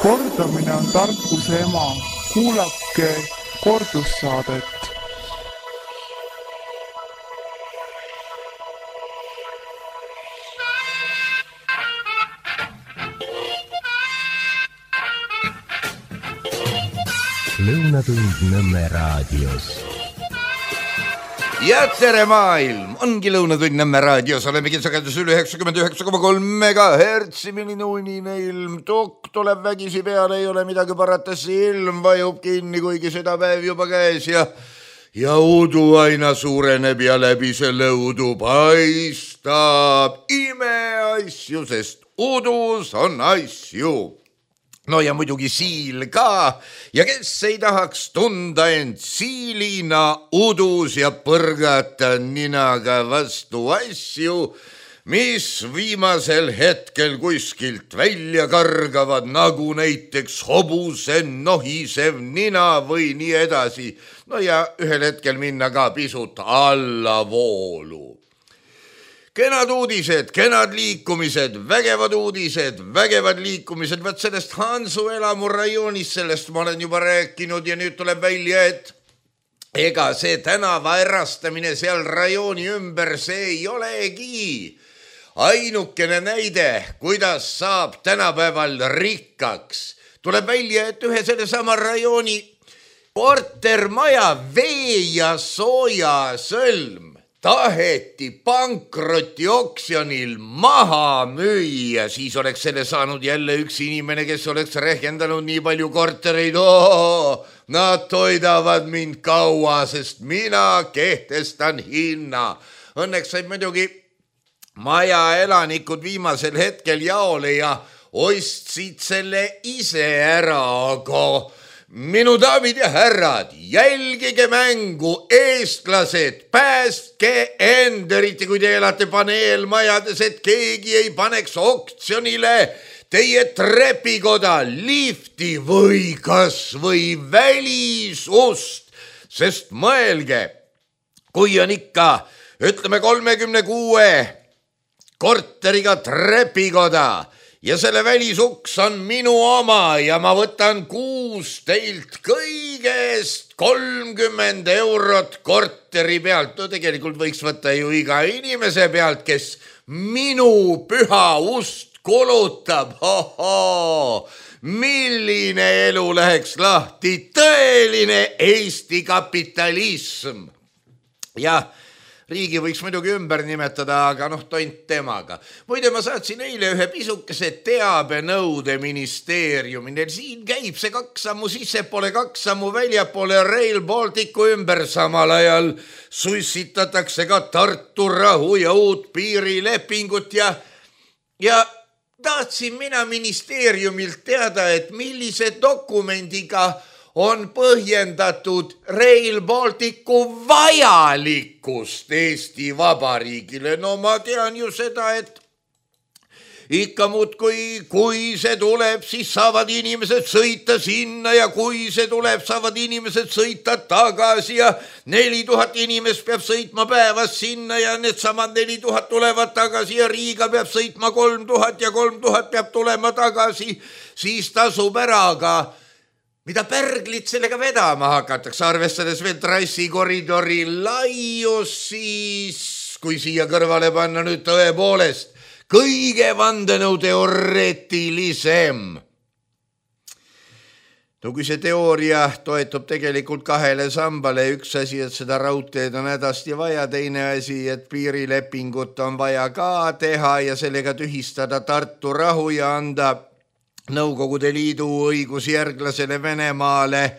Kordamine on tarkuse ema. Kuulake kordussaadet. Lõunatund Nõmme raadios. Ja tere maailm! Ongi Lõunatund Nõmme raadios. Olemegi sagedus üle 99,3 MHz. Milline unine ilm. Tukk tuleb vägisi peale, ei ole midagi parata. Silm vajub kinni, kuigi seda päev juba käes ja udu aina suureneb ja läbi selle udu paistab imeasju, sest udus on asju. No ja muidugi siil ka ja kes ei tahaks tunda end siilina udus ja põrgata ninaga vastu asju, mis viimasel hetkel kuskilt välja kargavad, nagu näiteks hobuse nohisev nina või nii edasi. No ja ühel hetkel minna ka pisut allavoolu. Kenad uudised, kenad liikumised, vägevad uudised, vägevad liikumised. Vaat sellest Hansu elamu rajoonis, sellest ma olen juba rääkinud ja nüüd tuleb välja, et ega see tänava erastamine seal rajooni ümber, see ei olegi ainukene näide, kuidas saab tänapäeval rikkaks. Tuleb välja, et ühe selle sama rajooni kortermaja vee ja sooja sõlm taheti pankrotioksjonil maha müüa, siis oleks selle saanud jälle üks inimene, kes oleks rehkendanud nii palju kortereid. Nad toidavad mind kaua, sest mina kehtestan hinna. Õnneks said muidugi maja elanikud viimasel hetkel jaole ja ostsid selle ise ära, aga minu daamid ja härrad, jälgige mängu, eestlased, päästke end, eriti kui te elate paneelmajades, et keegi ei paneks oktsionile teie trepikoda, lifti või kas või välisust, sest mõelge, kui on ikka, ütleme 36 korteriga trepikoda, ja selle välisuks on minu oma ja ma võtan kuus teilt kõigest 30 eurot korteri pealt. No tegelikult võiks võtta ju iga inimese pealt, kes minu püha ust kulutab. Milline elu läheks lahti, tõeline Eesti kapitalism. Jah, riigi võiks muidugi ümber nimetada, aga tont temaga. Muide, ma saatsin eile ühe pisukese teabenõude ministeeriumil. Siin käib see 2 sammu sissepoole, 2 sammu väljapoole Rail Balticu ümber. Samal ajal sussitatakse ka Tartu rahu ja uut piirilepingut ja tahtsin mina ministeeriumilt teada, et millise dokumendiga on põhjendatud Rail Balticu vajalikkust Eesti Vabariigile. No ma tean ju seda, et ikka muud kui see tuleb, siis saavad inimesed sõita sinna ja kui see tuleb, saavad inimesed sõita tagasi ja 4000 inimest peab sõitma päevas sinna ja needsamad 4000 tulevad tagasi ja Riiga peab sõitma 3000 ja 3000 peab tulema tagasi, siis tasub ära, aga mida pärglit sellega vedama hakatakse, arvestades veel trassikoridori laius, siis kui siia kõrvale panna nüüd tõepoolest kõige vandenõuteoreetilisem. No kui see teooria toetub tegelikult 2 sambale, üks asi, et seda raudteed on hädasti vaja, teine asi, et piirilepingut on vaja ka teha ja sellega tühistada Tartu rahu ja anda Nõukogude Liidu õigusjärglasele Venemaale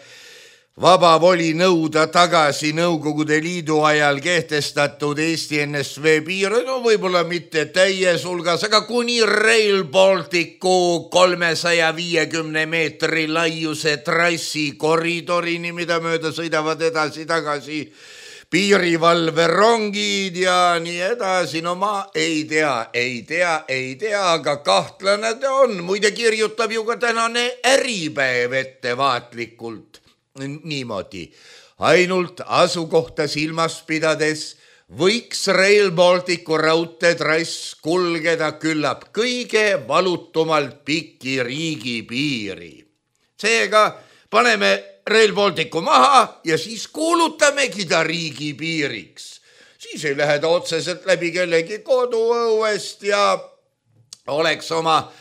vaba voli nõuda tagasi Nõukogude Liidu ajal kehtestatud Eesti NSV piire, no võib-olla mitte täies hulgas, aga kuni Rail Balticu 350 meetri laiuse trassi koridorini, mida mööda sõidavad edasi-tagasi piirivalverongid ja nii edasi. No ma ei tea, aga kahtlane ta on. Muide kirjutab ju ka tänane Äripäev ettevaatlikult niimoodi. Ainult asukohta silmas pidades võiks Rail Balticu raudteetrass kulgeda küllap kõige valutumalt pikki riigipiiri. Seega paneme Rail Balticu maha ja siis kuulutamegi ta riigipiiriks. Siis ei lähe ta otseselt läbi kellegi koduõuest ja oleks oma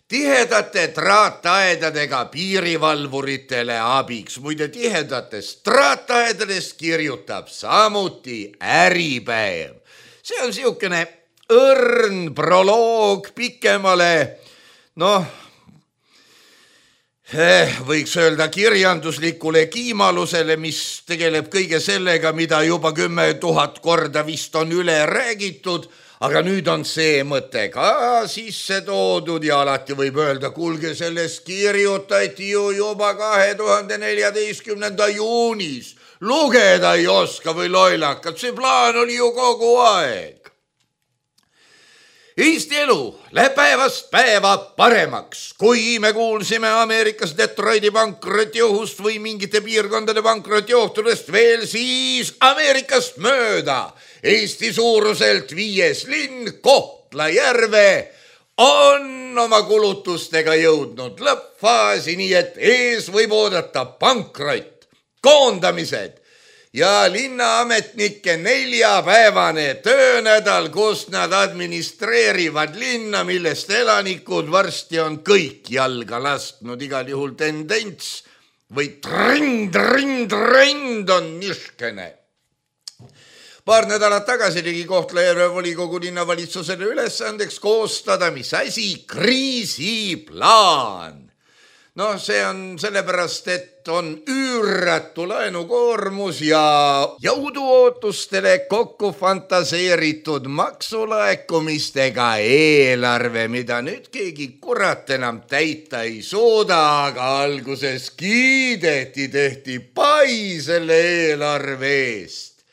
tihedate traataedadega piirivalvuritele abiks. Muide, tihedatest traataedadest kirjutab samuti Äripäev. See on siukene õrn proloog pikemale, võiks öelda kirjanduslikule kiimalusele, mis tegeleb kõige sellega, mida juba 10 000 korda vist on üle räägitud, aga nüüd on see mõte ka sisse toodud ja alati võib öelda, kuulge, sellest kirjutati ju juba 2014. juunis. Lugeda ei oska või loilakad, see plaan oli ju kogu aeg. Eesti elu läheb päevast päeva paremaks. Kui me kuulsime Ameerikas Detroiti pankrotiohust või mingite piirkondade pankrotiohtudest veel, siis Ameerikast mööda Eesti suuruselt 5. linn Kohtla-Järve on oma kulutustega jõudnud lõppfaasi, nii et ees võib oodata pankrot, koondamised ja linnaametnike 4-päevane töönädal, kus nad administreerivad linna, millest elanikud varsti on kõik jalga lasknud. Igal juhul tendents või trend on niškene. Paar nädalat tagasi tegi Kohtla-Järve volikogu linnavalitsusele ülesandeks koostada, mis asi? Kriisiplaan. See on sellepärast, et on üüratu laenukoormus ja jõuduootustele kokku fantaseeritud maksulaekumistega eelarve, mida nüüd keegi kurat enam täita ei suuda, aga alguses kiideti, tehti pai selle eelarve eest.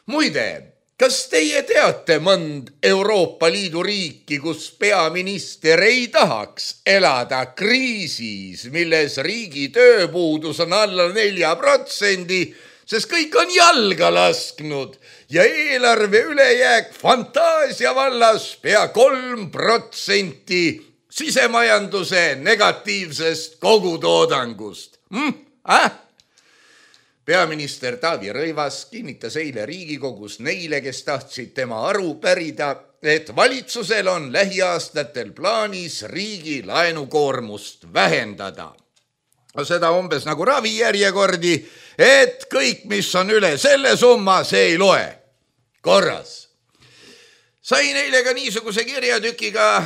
Muide, kas teie teate mõnd Euroopa Liidu riiki, kus peaminister ei tahaks elada kriisis, milles riigi tööpuudus on alla 4%, sest kõik on jalga lasknud ja eelarve ülejääk fantaasia vallas pea 3% sisemajanduse negatiivsest kogutoodangust? Peaminister Taavi Rõivas kinnitas eile Riigikogus neile, kes tahtsid tema aru pärida, et valitsusel on lähiaastatel plaanis riigi laenukoormust vähendada. Seda umbes nagu ravijärjekordi, et kõik, mis on üle selle summa, see ei loe. Korras. Sain eile ka niisuguse kirjatükiga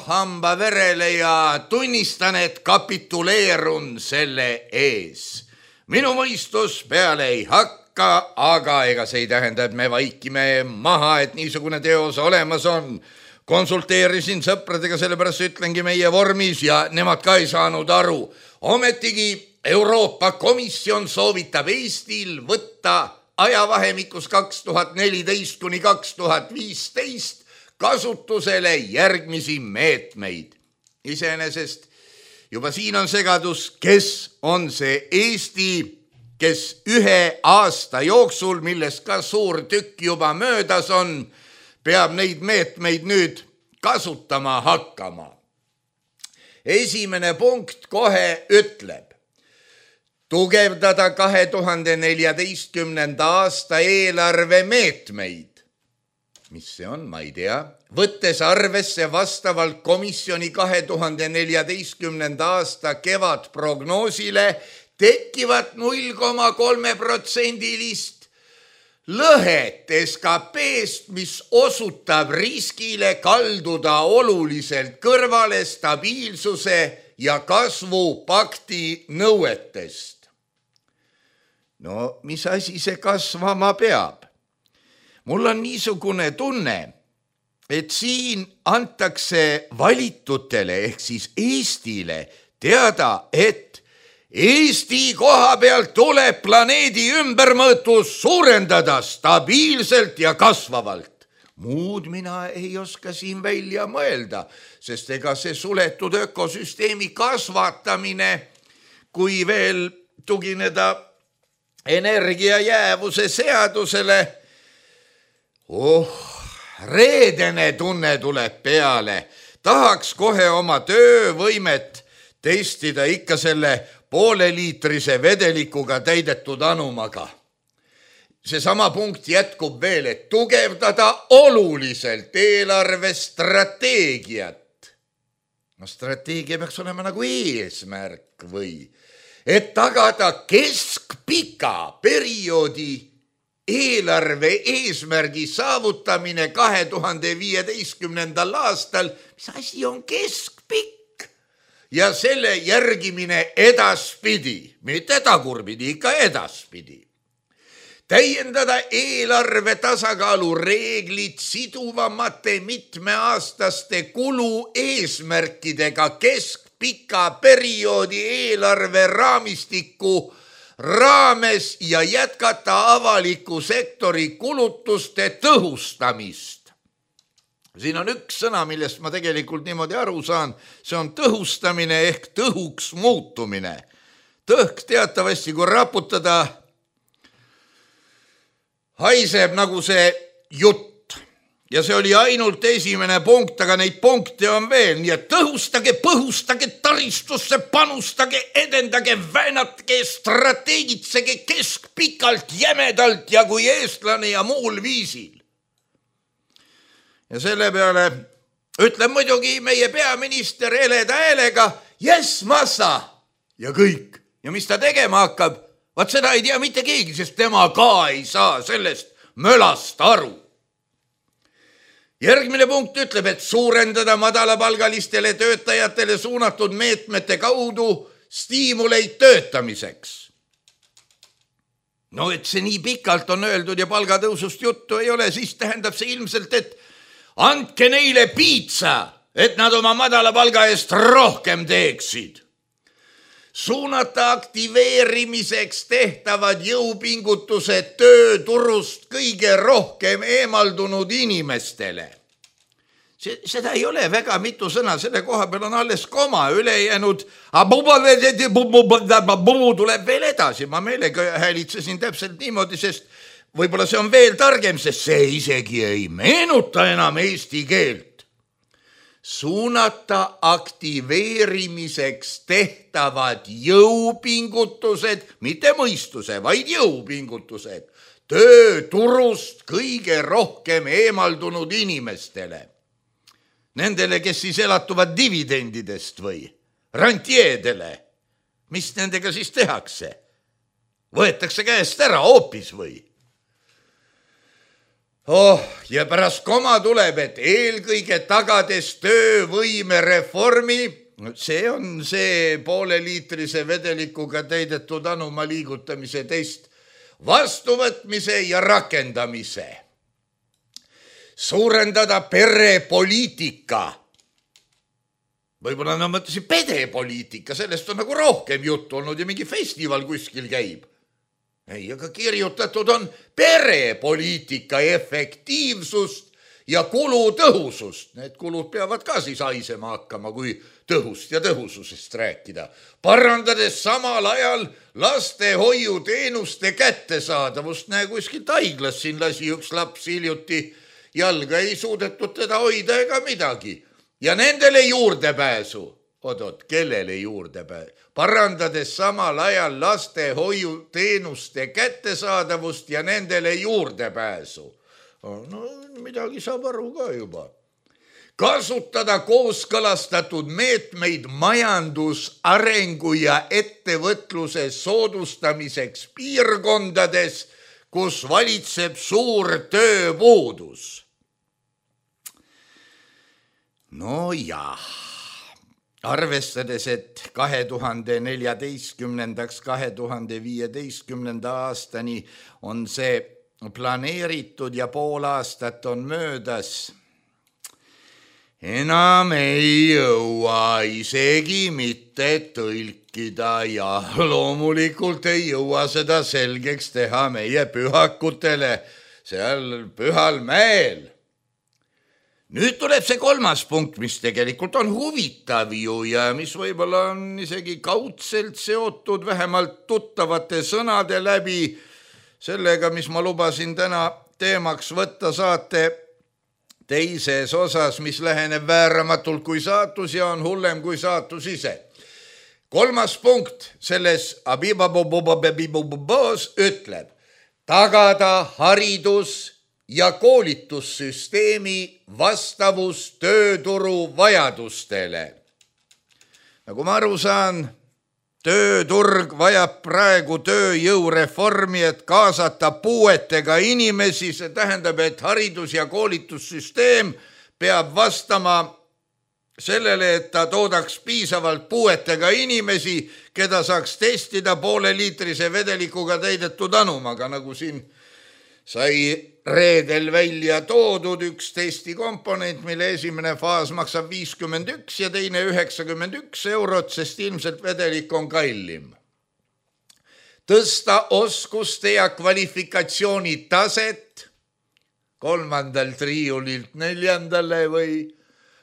hamba verele ja tunnistan, et kapituleerun selle ees. Minu mõistus peale ei hakka, aga ega see ei tähenda, et me vaikime maha, et niisugune teos olemas on. Konsulteerisin sõpradega, sellepärast ütlengi meie vormis ja nemad ka ei saanud aru. Ometigi Euroopa Komisjon soovitab Eestil võtta ajavahemikus 2014 kuni 2015 kasutusele järgmisi meetmeid. Iseenesest juba siin on segadus, kes on see Eesti, kes 1 aasta jooksul, millest ka suur tükk juba möödas on, peab neid meetmeid nüüd kasutama hakkama. Esimene punkt kohe ütleb, tugevdada 2014. aasta eelarve meetmeid. Mis see on, ma ei tea. Võttes arvesse vastavalt komisjoni 2014. aasta kevadprognoosile tekkivat 0,3% lõhet SKP-st, mis osutab riskile kalduda oluliselt kõrvale stabiilsuse ja kasvupakti nõuetest. Mis asi see kasvama peab? Mul on niisugune tunne, et siin antakse valitutele ehk siis Eestile teada, et Eesti koha pealt tuleb planeedi ümbermõõtus suurendada stabiilselt ja kasvavalt. Muud mina ei oska siin välja mõelda, sest ega see suletud ökosüsteemi kasvatamine, kui veel tugineda energiajäävuse seadusele, Reedene tunne tuleb peale. Tahaks kohe oma töövõimet testida ikka selle pooleliitrise vedelikuga täidetud anumaga. Seesama punkt jätkub veel, et tugevdada oluliselt eelarvestrateegiat. No strateegia peaks olema nagu eesmärk või, et tagada keskpika perioodi eelarve eesmärgi saavutamine 2015. aastal, mis asi on keskpikk ja selle järgimine edaspidi, mitte tagurpidi, ikka edaspidi. Täiendada eelarve tasakaalu reeglid siduvamate mitmeaastaste kulu eesmärkidega keskpika perioodi eelarve raamistiku raames ja jätkata avaliku sektori kulutuste tõhustamist. Siin on üks sõna, millest ma tegelikult niimoodi aru saan, see on tõhustamine ehk tõhuks muutumine. Tõhk teatavasti, kui raputada, haiseb nagu see jutt ja see oli ainult esimene punkt, aga neid punkte on veel, nii et tõhustage, põhustage taristusse, panustage, edendage, väänatge, strateegitsege keskpikalt, jämedalt ja kui eestlane ja muul viisil. Ja selle peale ütleb muidugi meie peaminister heleda häälega, yes, massa ja kõik. Ja mis ta tegema hakkab? Vaat seda ei tea mitte keegi, sest tema ka ei saa sellest mölast aru. Järgmine punkt ütleb, et suurendada madalapalgalistele töötajatele suunatud meetmete kaudu stiimuleid töötamiseks. No et see nii pikalt on öeldud ja palgatõusust juttu ei ole, siis tähendab see ilmselt, et andke neile piitsa, et nad oma madala palga eest rohkem teeksid. Suunata aktiveerimiseks tehtavad jõupingutused tööturust kõige rohkem eemaldunud inimestele. Seda ei ole väga mitu sõna, selle koha peal on alles koma ülejäänud. Tuleb veel edasi, ma meelega häälitsesin täpselt niimoodi, sest võib-olla see on veel targem, sest see isegi ei meenuta enam eesti keelt. Suunata aktiveerimiseks tehtavad jõupingutused, mitte mõistuse, vaid jõupingutused, tööturust kõige rohkem eemaldunud inimestele. Nendele, kes siis elatuvad dividendidest või rantjeedele. Mis nendega siis tehakse? Võetakse käest ära hoopis või? Ja pärast koma tuleb, et eelkõige tagades töövõime reformi, see on see pooleliitrise vedelikuga täidetud anuma liigutamise test, vastuvõtmise ja rakendamise. Suurendada perepoliitika. Võib-olla nad mõtlesid pedepoliitika, sellest on nagu rohkem juttu olnud ja mingi festival kuskil käib. Ei, aga kirjutatud on perepoliitika efektiivsust ja kulutõhusust. Need kulud peavad ka siis haisema hakkama, kui tõhust ja tõhususest rääkida. Parandades samal ajal lastehoiuteenuste kättesaadavust. Näe, kuskilt haiglas siin lasi üks laps hiljuti jalga, ei suudetud teda hoida ega midagi. Ja nendele juurdepääsu. Oot, kellele juurdepääsu? Parandades samal ajal lastehoiuteenuste kättesaadavust ja nendele juurdepääsu. No midagi saab aru ka juba. Kasutada kooskõlastatud meetmeid majandusarengu ja ettevõtluse soodustamiseks piirkondades, kus valitseb suur tööpuudus. No jah. Arvestades, et 2014-2015 aastani on see planeeritud ja pool aastat on möödas, enam ei jõua isegi mitte tõlkida ja loomulikult ei jõua seda selgeks teha meie pühakutele seal Pühal mäel. Nüüd tuleb see kolmas punkt, mis tegelikult on huvitav ju ja mis võib-olla on isegi kaudselt seotud vähemalt tuttavate sõnade läbi sellega, mis ma lubasin täna teemaks võtta saate teises osas, mis läheneb vääramatult kui saatus ja on hullem kui saatus ise. 3. punkt selles abibabobobobobos ütleb tagada haridus- ja koolitussüsteemi vastavus tööturu vajadustele. Nagu ma aru saan, tööturg vajab praegu tööjõureformi, et kaasata puuetega inimesi. See tähendab, et haridus- ja koolitussüsteem peab vastama sellele, et ta toodaks piisavalt puuetega inimesi, keda saaks testida pooleliitrise vedelikuga täidetud anumaga, nagu siin sai reedel välja toodud üks testi komponent, mille esimene faas maksab 51 ja teine 91 eurot, sest ilmselt vedelik on kallim. Tõsta oskuste ja kvalifikatsiooni taset 3. riiulilt 4. või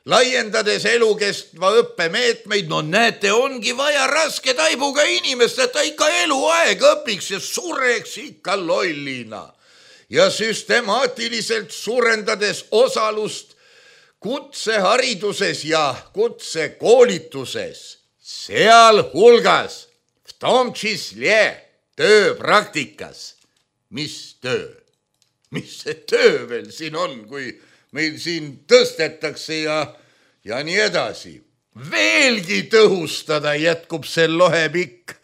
laiendades elukestva õppemeetmeid. No näete, ongi vaja raske taibuga inimest, et ta ikka eluaeg õpiks ja sureks ikka lollina. Ja süstemaatiliselt suurendades osalust kutsehariduses ja kutsekoolituses, sealhulgas v tom čísle tööpraktikas. Mis töö? Mis see töö veel siin on, kui meil siin tõstetakse ja nii edasi? Veelgi tõhustada jätkub see lohepikk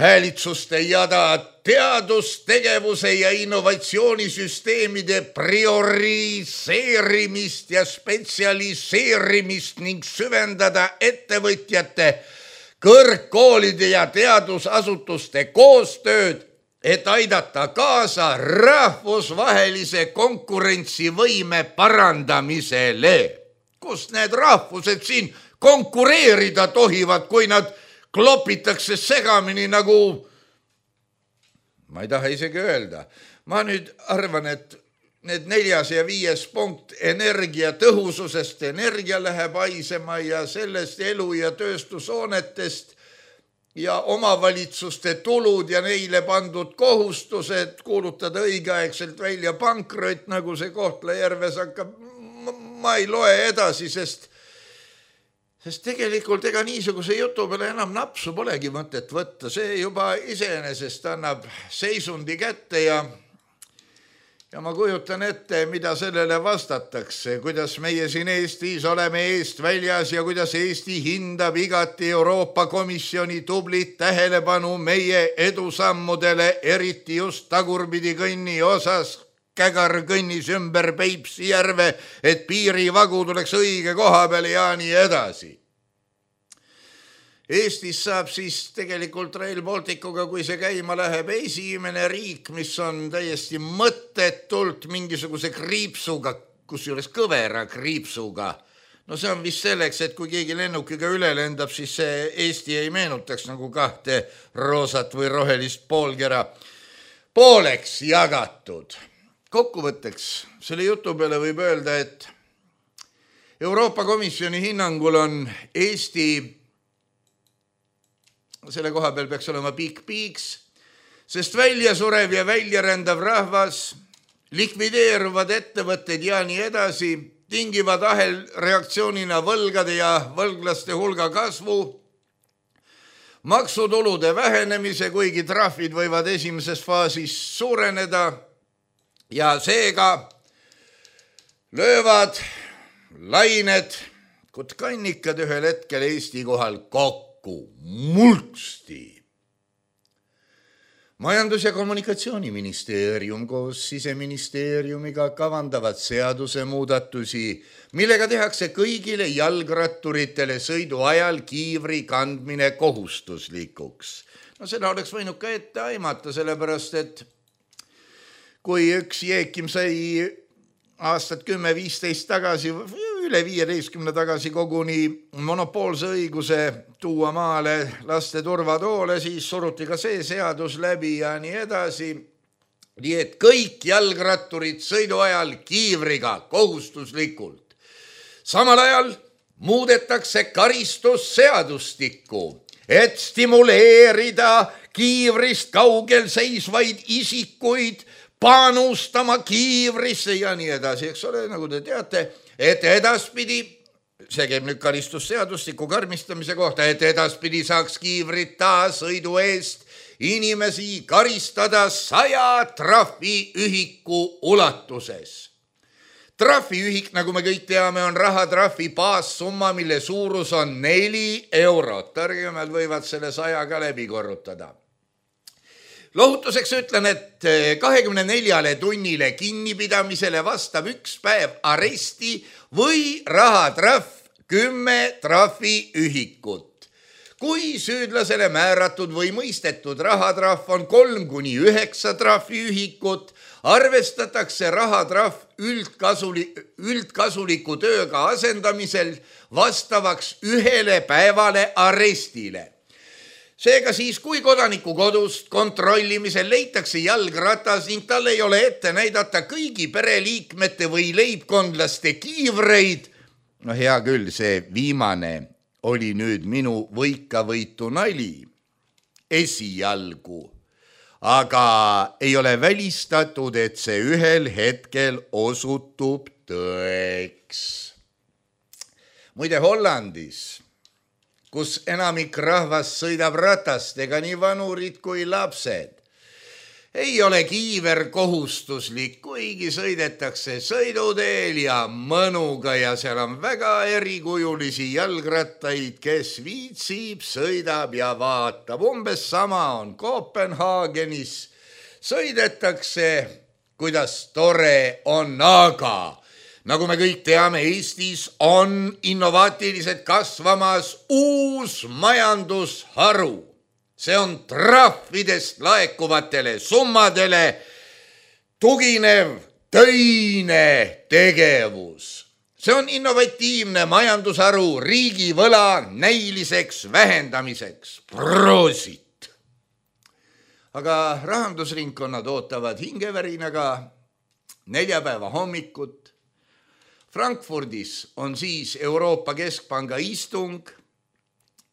häälitsuste jada teadustegevuse ja innovatsioonisüsteemide prioriseerimist ja spetsialiseerimist ning süvendada ettevõtjate, kõrgkoolide ja teadusasutuste koostööd, et aidata kaasa rahvusvahelise konkurentsivõime parandamisele. Kust need rahvused siin konkureerida tohivad, kui nad klopitakse segamini nagu, ma ei taha isegi öelda. Ma nüüd arvan, et need 4. ja 5. punkt energiatõhususest, energia läheb haisema ja sellest elu- ja tööstushoonetest ja omavalitsuste tulud ja neile pandud kohustused kuulutada õigeaegselt välja pankrot, nagu see Kohtla-Järves hakkab. Ma ei loe edasi, sest tegelikult ega niisuguse jutu peale enam napsu polegi mõtet võtta. See juba iseenesest annab seisundi kätte ja ma kujutan ette, mida sellele vastatakse, kuidas meie siin Eestis oleme eest väljas ja kuidas Eesti hindab igati Euroopa Komisjoni tublit tähelepanu meie edusammudele, eriti just tagurpidi kõnni osas. Kägar kõnnis ümber Peipsi järve, et piirivagu tuleks õige koha peale ja nii edasi. Eestis saab siis tegelikult Rail Balticuga, kui see käima läheb, esimene riik, mis on täiesti mõttetult mingisuguse kriipsuga, kusjuures kõvera kriipsuga. No see on vist selleks, et kui keegi lennukiga üle lendab, siis see Eesti ei meenutaks nagu 2 roosat või rohelist poolkera pooleks jagatud. Kokkuvõtteks selle jutu peale võib öelda, et Euroopa Komisjoni hinnangul on Eesti, selle koha peal peaks olema piiks, sest väljasurev ja väljarändav rahvas, likvideeruvad ettevõtted ja nii edasi, tingivad ahelreaktsioonina võlgade ja võlglaste hulga kasvu, maksutulude vähenemise, kuigi trahvid võivad esimeses faasis suureneda, ja seega löövad lained kutkannikad ühel hetkel Eesti kohal kokku mulksti. Majandus- ja Kommunikatsiooniministeerium koos Siseministeeriumiga kavandavad seadusemuudatusi, millega tehakse kõigile jalgratturitele sõidu ajal kiivri kandmine kohustuslikuks. No seda oleks võinud ka ette aimata, sellepärast et kui üks Jeekim sai aastat 10-15 tagasi, üle 15 tagasi koguni monopoolse õiguse tuua maale laste turvatoole, siis suruti ka see seadus läbi ja nii edasi. Nii et kõik jalgratturid sõidu ajal kiivriga kohustuslikult. Samal ajal muudetakse karistusseadustikku, et stimuleerida kiivrist kaugel seisvaid isikuid panustama kiivrisse ja nii edasi, eks ole, nagu te teate, et edaspidi, see käib nüüd karistusseadustiku karmistamise kohta, et edaspidi saaks kiivrita sõidu eest inimesi karistada 100 trahviühiku ulatuses. Trahviühik, nagu me kõik teame, on rahatrahvi baassumma, mille suurus on 4 eurot. Targemad võivad selle 100 ka läbi korrutada. Lohutuseks ütlen, et 24 tunnile kinnipidamisele vastab 1 päev aresti või rahatrahv 10 trahviühikut. Kui süüdlasele määratud või mõistetud rahatrahv on 3-9 trahviühikut, arvestatakse rahatrahv üldkasuliku tööga asendamisel vastavaks 1 päevale arestile. Seega siis, kui kodaniku kodust kontrollimisel leitakse jalgratas ning tal ei ole ette näidata kõigi pereliikmete või leibkondlaste kiivreid, no hea küll, see viimane oli nüüd minu võikavõitu nali esialgu, aga ei ole välistatud, et see ühel hetkel osutub tõeks. Muide, Hollandis, kus enamik rahvast sõidab ratastega, nii vanurid kui lapsed, ei ole kiiver kohustuslik, kuigi sõidetakse sõiduteel ja mõnuga ja seal on väga erikujulisi jalgrattaid, kes viitsib, sõidab ja vaatab. Umbes sama on Kopenhaagenis. Sõidetakse, kuidas tore on, aga nagu me kõik teame, Eestis on innovaatiliselt kasvamas uus majandusharu. See on trahvidest laekuvatele summadele tuginev töine tegevus. See on innovatiivne majandusharu riigivõla näiliseks vähendamiseks. Proosit! Aga rahandusringkonnad ootavad hingevärinaga neljapäeva hommikut. Frankfurdis on siis Euroopa Keskpanga istung.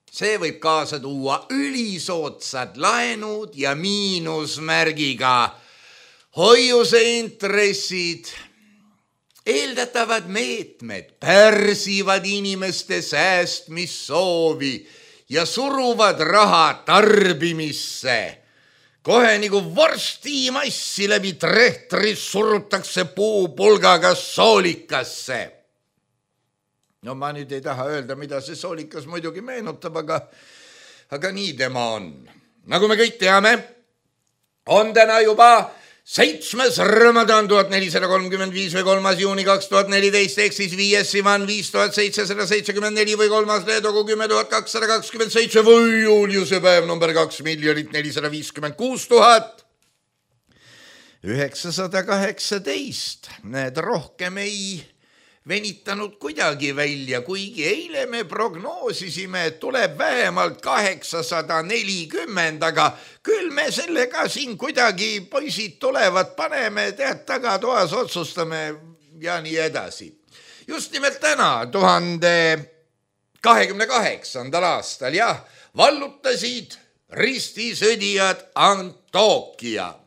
See võib kaasa tuua ülisootsad laenud ja miinusmärgiga hoiuseintressid. Eeldatavad meetmed pärsivad inimeste säästmissoovi ja suruvad raha tarbimisse. Kohe nagu vorstimassi läbi trehtris surutakse puupulgaga soolikasse. No ma nüüd ei taha öelda, mida see soolikas muidugi meenutab, aga nii tema on. Nagu me kõik teame, on täna juba 7. Ramadan 1435 või 3. juuni 2014, ehk siis 5. Sivan 5774 või 3. Leedogu 10227 või Juliuse päev number 2 456 918. Need rohkem ei venitanud kuidagi välja, kuigi eile me prognoosisime, et tuleb vähemalt 840, aga küll me sellega siin kuidagi, poisid tulevad, paneme, tead, tagatoas otsustame ja nii edasi. Just nimelt täna, 1028. aastal, jah, vallutasid ristisõdijad Antioquia.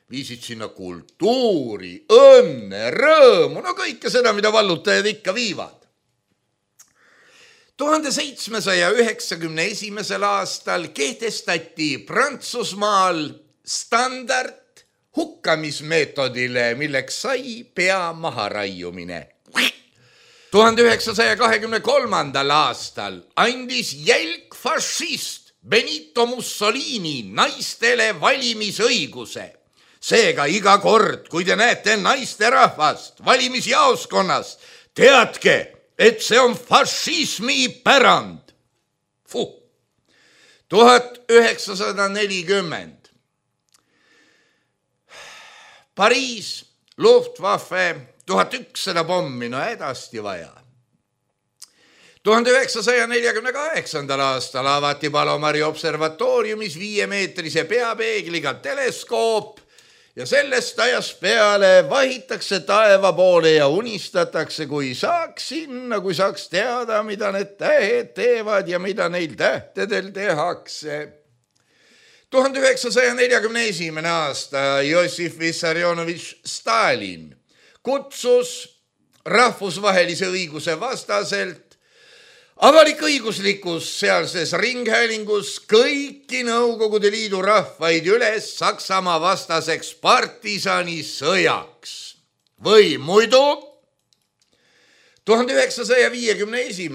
Viisid sinna kultuuri, õnne, rõõmu, no kõike seda, mida vallutajad ikka viivad. 1791. aastal kehtestati Prantsusmaal standard hukkamismeetodile, milleks sai pea maharaiumine. 1923. aastal andis jälg fašist Benito Mussolini naistele valimisõiguse. Seega iga kord, kui te näete naisterahvast valimisjaoskonnas, teadke, et see on fašismi pärand. 1940. Pariis, Luftwaffe, 1100 pommi, no hädasti vaja. 1948. aastal avati Palomari observatooriumis 5-meetrise peapeegliga teleskoop, ja sellest ajast peale vahitakse taeva poole ja unistatakse, kui saaks sinna, kui saaks teada, mida need tähed teevad ja mida neil tähtedel tehakse. 1941. aasta Jossif Vissarionovitš Stalin kutsus rahvusvahelise õiguse vastaselt avalik-õiguslikus sealses ringhäälingus kõiki Nõukogude Liidu rahvaid üles Saksamaa vastaseks partisanisõjaks. Või muidu 1951.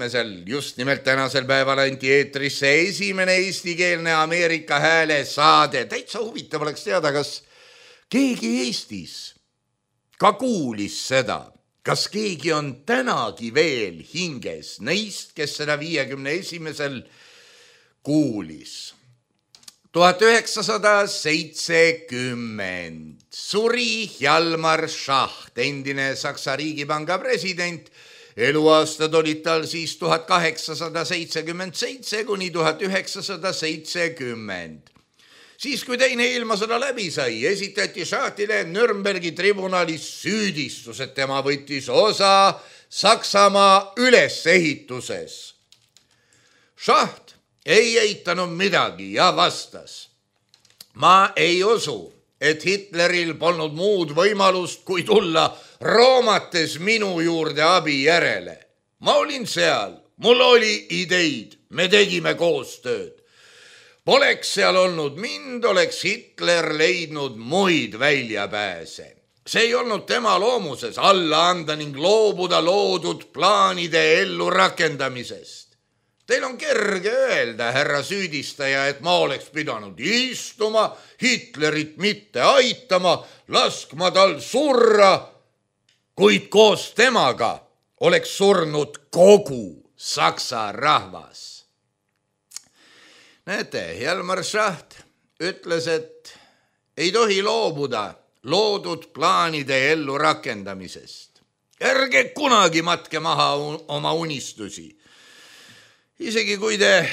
just nimelt tänasel päeval anti eetrisse esimene eestikeelne Ameerika hääle saade. Täitsa huvitav oleks teada, kas keegi Eestis ka kuulis seda, kas keegi on tänagi veel hinges neist, kes seda 51. kuulis. 1970 suri Hjalmar Schacht, endine Saksa riigipanga president. Eluaastad olid tal siis 1877 kuni 1970. Siis, kui teine ilmasõda läbi sai, esitati Schachtile Nürnbergi tribunalis süüdistus, et tema võttis osa Saksamaa ülesehituses. Schacht ei eitanud midagi ja vastas: ma ei usu, et Hitleril polnud muud võimalust, kui tulla roomates minu juurde abi järele. Ma olin seal, mul oli ideid, me tegime koostööd. Poleks seal olnud mind, oleks Hitler leidnud muid väljapääse. See ei olnud tema loomuses alla anda ning loobuda loodud plaanide ellu rakendamisest. Teil on kerge öelda, härra süüdistaja, et ma oleks pidanud istuma, Hitlerit mitte aitama, laskma tal surra, kuid koos temaga oleks surnud kogu Saksa rahvas. Näete, Hjalmar Schacht ütles, et ei tohi loobuda loodud plaanide ellu rakendamisest. Ärge kunagi matke maha oma unistusi. Isegi kui te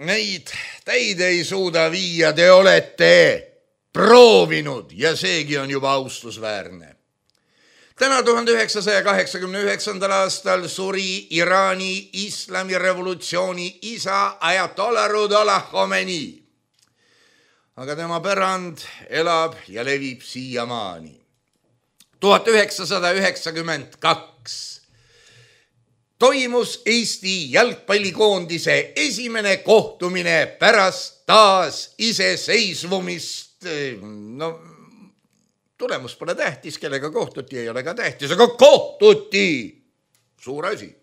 neid täide ei suuda viia, te olete proovinud ja seegi on juba austusväärne. Täna 1989. aastal suri Iraani islamirevolutsiooni isa Ayatollah Ruhollah Khomeini. Aga tema pärand elab ja levib siiamaani. 1992 toimus Eesti jalgpallikoondise esimene kohtumine pärast taas iseseisvumist. Tulemus pole tähtis, kellega kohtuti, ei ole ka tähtis, aga kohtuti. Suur asi.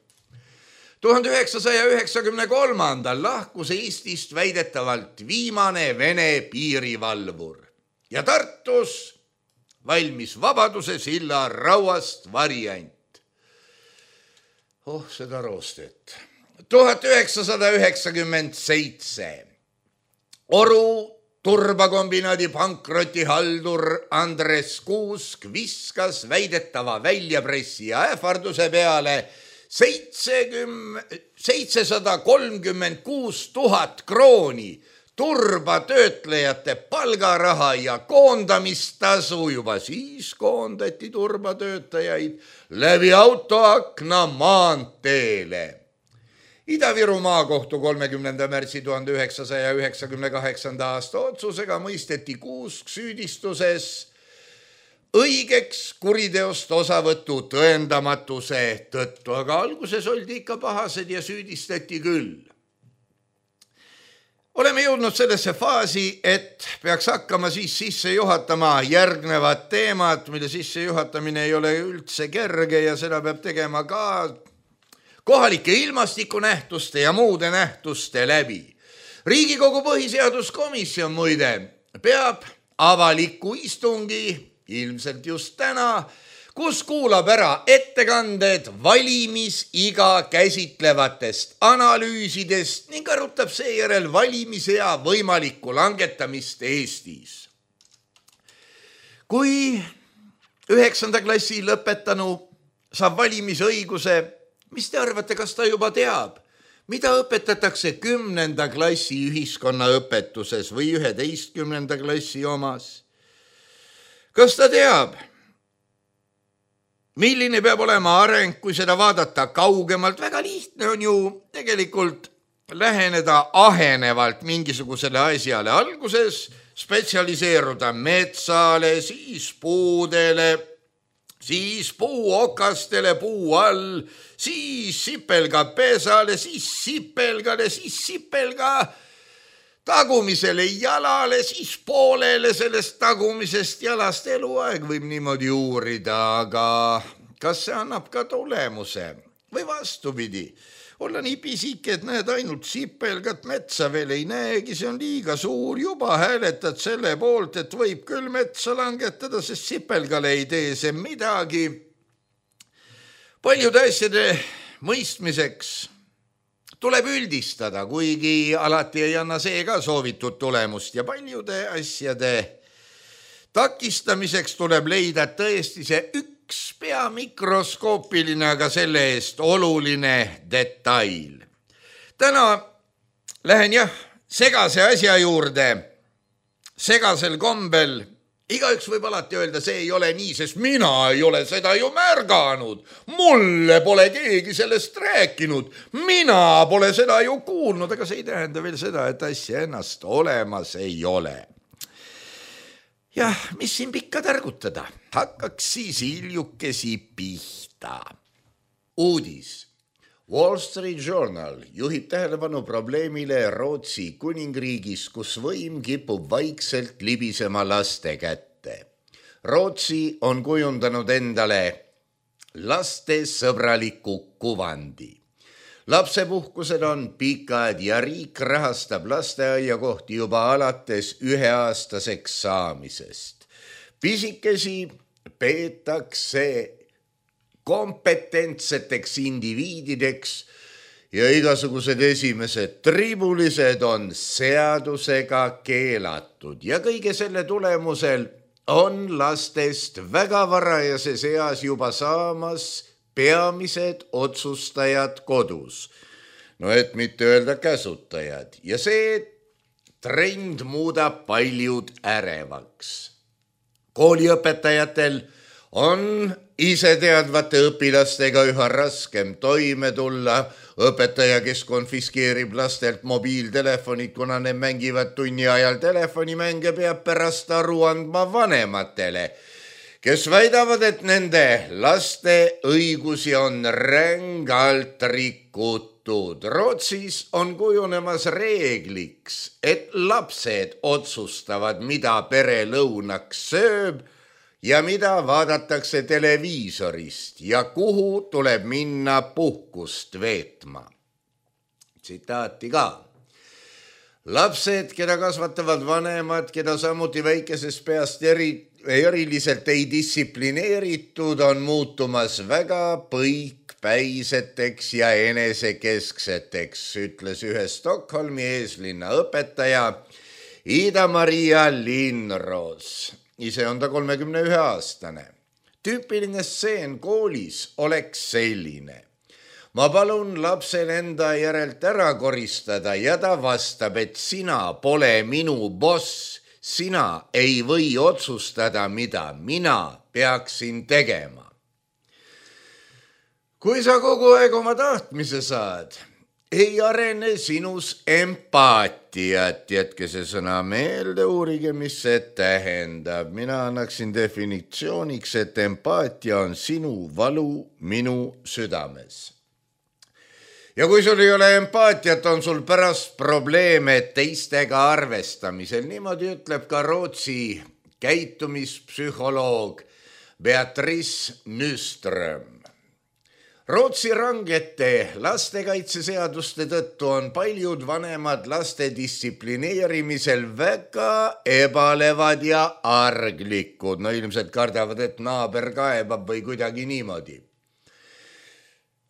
1993. lahkus Eestist väidetavalt viimane Vene piirivalvur ja Tartus valmis Vabaduse silla rauast variant. Seda roostet. 1997 Oru turbakombinaadi pankrotihaldur Andres Kuusk viskas väidetava väljapressija ähvarduse peale 736 000 krooni turbatöötlejate palgaraha ja koondamistasu. Juba siis koondati turbatöötajaid läbi autoakna maanteele. Ida-Viru maakohtu 30. märtsi 1998. aasta otsusega mõisteti Kuusk süüdistuses õigeks kuriteost osavõtu tõendamatuse tõttu, aga alguses oldi ikka pahased ja süüdistati küll. Oleme jõudnud sellesse faasi, et peaks hakkama siis sisse juhatama järgnevad teemad, mille sisse juhatamine ei ole üldse kerge ja seda peab tegema ka kohalike ilmastikunähtuste ja muude nähtuste läbi. Riigikogu põhiseaduskomisjon muide peab avaliku istungi, ilmselt just täna, kus kuulab ära ettekanded valimisiga käsitlevatest analüüsidest ning arutab seejärel valimisea võimalikku langetamist Eestis. Kui 9. klassi lõpetanu saab valimisõiguse, mis te arvate, kas ta juba teab, mida õpetatakse 10. klassi ühiskonnaõpetuses või 11. klassi omas? Kas ta teab, milline peab olema areng, kui seda vaadata kaugemalt? Väga lihtne on ju tegelikult läheneda ahenevalt mingisugusele asjale. Alguses spetsialiseeruda metsale, siis puudele, siis puuokastele puu all, siis sipelga pesale, siis sipelgale, siis sipelga tagumisele jalale, siis poolele sellest tagumisest jalast. Eluaeg võib niimoodi uurida, aga kas see annab ka tulemuse või vastupidi? Olla nii pisik, et näed ainult sipelgat, metsa veel ei näegi, see on liiga suur, juba hääletad selle poolt, et võib küll metsa langetada, sest sipelgale ei tee see midagi. Paljude asjade mõistmiseks tuleb üldistada, kuigi alati ei anna see ka soovitud tulemust ja paljude asjade takistamiseks tuleb leida tõesti see üks pea mikroskoopiline, aga selle eest oluline detail. Täna lähen segase asja juurde, segasel kombel. Igaüks võib alati öelda, see ei ole nii, sest mina ei ole seda ju märganud. Mulle pole keegi sellest rääkinud. Mina pole seda ju kuulnud, aga see ei tähenda veel seda, et asja ennast olemas ei ole. Jah, mis siin pikka targutada? Hakkaks siis hiljukesi pihta. Uudis. Wall Street Journal juhib tähelepanu probleemile Rootsi kuningriigis, kus võim kipub vaikselt libisema laste kätte. Rootsi on kujundanud endale lastesõbraliku kuvandi. Lapsepuhkused on pikad ja riik rahastab lasteaiakohti juba alates 1-aastaseks saamisest. Pisikesi peetakse kompetentseteks indiviidideks ja igasugused esimesed tribulised on seadusega keelatud ja kõige selle tulemusel on lastest väga varajases eas juba saamas peamised otsustajad kodus, no et mitte öelda käsutajad, ja see trend muudab paljud ärevaks. Kooliõpetajatel on iseteadvate õpilastega üha raskem toime tulla. Õpetaja, kes konfiskeerib lastelt mobiiltelefonid, kuna need mängivad tunni ajal telefonimänge, peab pärast aru andma vanematele, kes väidavad, et nende laste õigusi on rängalt rikutud. Rootsis on kujunemas reegliks, et lapsed otsustavad, mida pere lõunaks sööb ja mida vaadatakse televiisorist ja kuhu tuleb minna puhkust veetma. Tsitaati ka. Lapsed, keda kasvatavad vanemad, keda samuti väikesest peast eriliselt ei distsiplineeritud, on muutumas väga põikpäiseteks ja enesekeskseteks, ütles ühe Stockholmi eeslinna õpetaja Ida-Maria Lindros. Ise on ta 31-aastane. Tüüpiline stseen koolis oleks selline. Ma palun lapsel enda järelt ära koristada ja ta vastab, et sina pole minu boss. Sina ei või otsustada, mida mina peaksin tegema. Kui sa kogu aeg oma tahtmise saad, ei arene sinus empaatiat. Jätke see sõna meelde, uurige, mis see tähendab. Mina annaksin definitsiooniks, et empaatia on sinu valu minu südames. Ja kui sul ei ole empaatiat, on sul pärast probleeme teistega arvestamisel. Niimoodi ütleb ka Rootsi käitumispsühholoog Beatrice Nyström. Rootsi rangete lastekaitseseaduste tõttu on paljud vanemad laste distsiplineerimisel väga ebalevad ja arglikud. No ilmselt kardavad, et naaber kaebab või kuidagi niimoodi.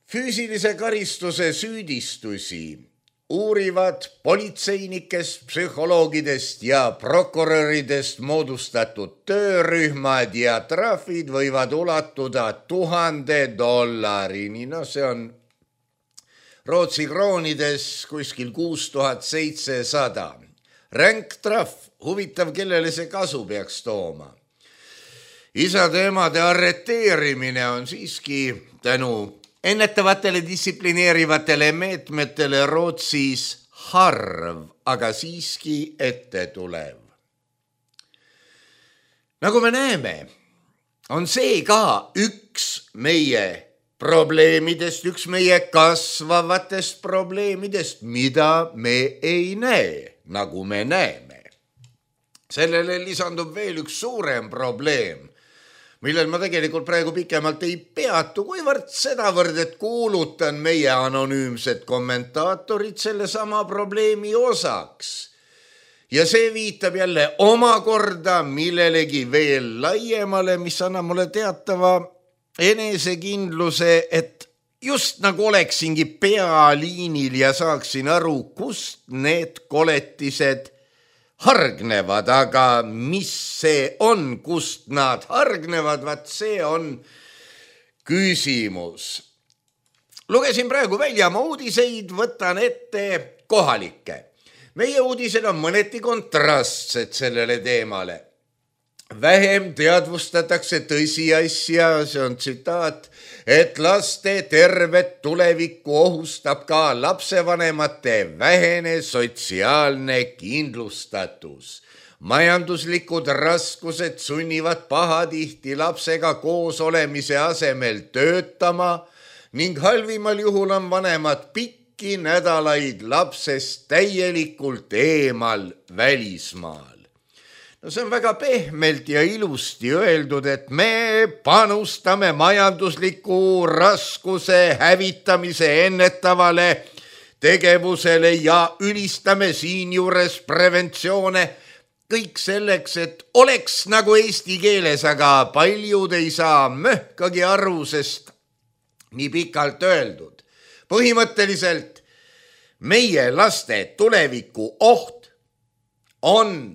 Füüsilise karistuse süüdistusi uurivad politseinikest, psühholoogidest ja prokuröridest moodustatud töörühmad ja trahvid võivad ulatuda $1000. No see on Rootsi kroonides kuskil 6700. Ränk trahv, huvitav, kellele see kasu peaks tooma. Isade-emade arreteerimine on siiski tänu ennetavatele distsiplineerivatele meetmetele Rootsis harv, aga siiski ette tulev. Nagu me näeme, on see ka üks meie probleemidest, üks meie kasvavatest probleemidest, mida me ei näe, nagu me näeme. Sellele lisandub veel üks suurem probleem, millel ma tegelikult praegu pikemalt ei peatu, kuivõrd sedavõrd, et kuulutan meie anonüümsed kommentaatorid selle sama probleemi osaks. Ja see viitab jälle omakorda millelegi veel laiemale, mis annab mulle teatava enesekindluse, et just nagu oleksingi pealiinil ja saaksin aru, kust need koletised hargnevad, aga mis see on, kust nad hargnevad, vaat see on küsimus. Lugesin praegu väljamaa uudiseid, võtan ette kohalikke. Meie uudised on mõneti kontrastsed sellele teemale. Vähem teadvustatakse tõsiasja, see on tsitaat, et laste tervet tulevikku ohustab ka lapsevanemate vähene sotsiaalne kindlustatus. Majanduslikud raskused sunnivad pahatihti lapsega koos olemise asemel töötama ning halvimal juhul on vanemad pikki nädalaid lapsest täielikult eemal välismaal. No see on väga pehmelt ja ilusti öeldud, et me panustame majandusliku raskuse hävitamise ennetavale tegevusele ja ülistame siinjuures preventsioone kõik selleks, et oleks nagu eesti keeles, aga paljud ei saa möhkagi aru, sest nii pikalt öeldud. Põhimõtteliselt meie laste tuleviku oht on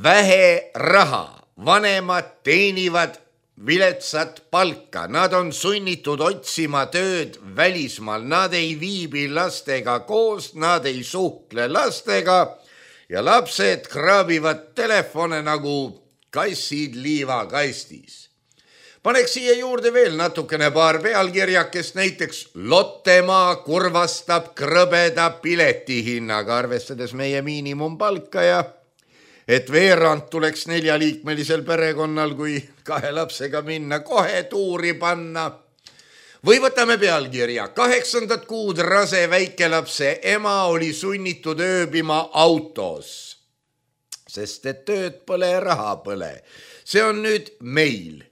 vähe raha, vanemad teenivad viletsat palka, nad on sunnitud otsima tööd välismaal, nad ei viibi lastega koos, nad ei suhtle lastega ja lapsed kraabivad telefone nagu kassid liivakastis. Paneks siia juurde veel natukene paar pealkirjakest, näiteks Lottemaa kurvastab krõbeda piletihinnaga, arvestades meie miinimumpalka ja et veerand tuleks 4-liikmelisel perekonnal, kui 2 lapsega minna, kohe tuuri panna. Või võtame pealkirja. 8. kuud rase väikelapse ema oli sunnitud ööbima autos, sest et tööd pole, raha pole. See on nüüd meil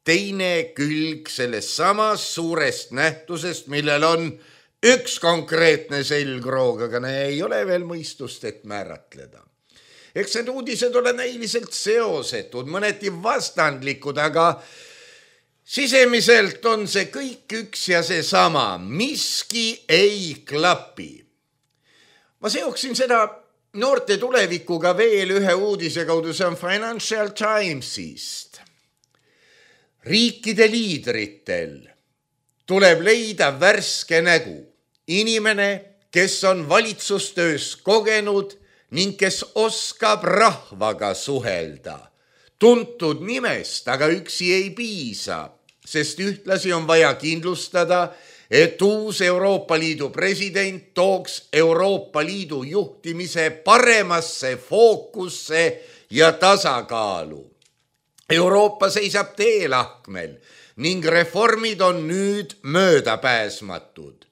teine külg sellest samast suurest nähtusest, millel on üks konkreetne selgroog, aga ei ole veel mõistust, et määratleda. Eks need uudised ole näiliselt seosetud, mõneti vastandlikud, aga sisemiselt on see kõik üks ja see sama. Miski ei klapi. Ma seoksin seda noorte tulevikuga veel ühe uudise kaudu, see on Financial Timesist. Riikide liidritel tuleb leida värske nägu. Inimene, kes on valitsustöös kogenud ning kes oskab rahvaga suhelda. Tuntud nimest, aga üksi ei piisa, sest ühtlasi on vaja kindlustada, et uus Euroopa Liidu president tooks Euroopa Liidu juhtimise paremasse fookusse ja tasakaalu. Euroopa seisab teelahkmel ning reformid on nüüd möödapääsmatud.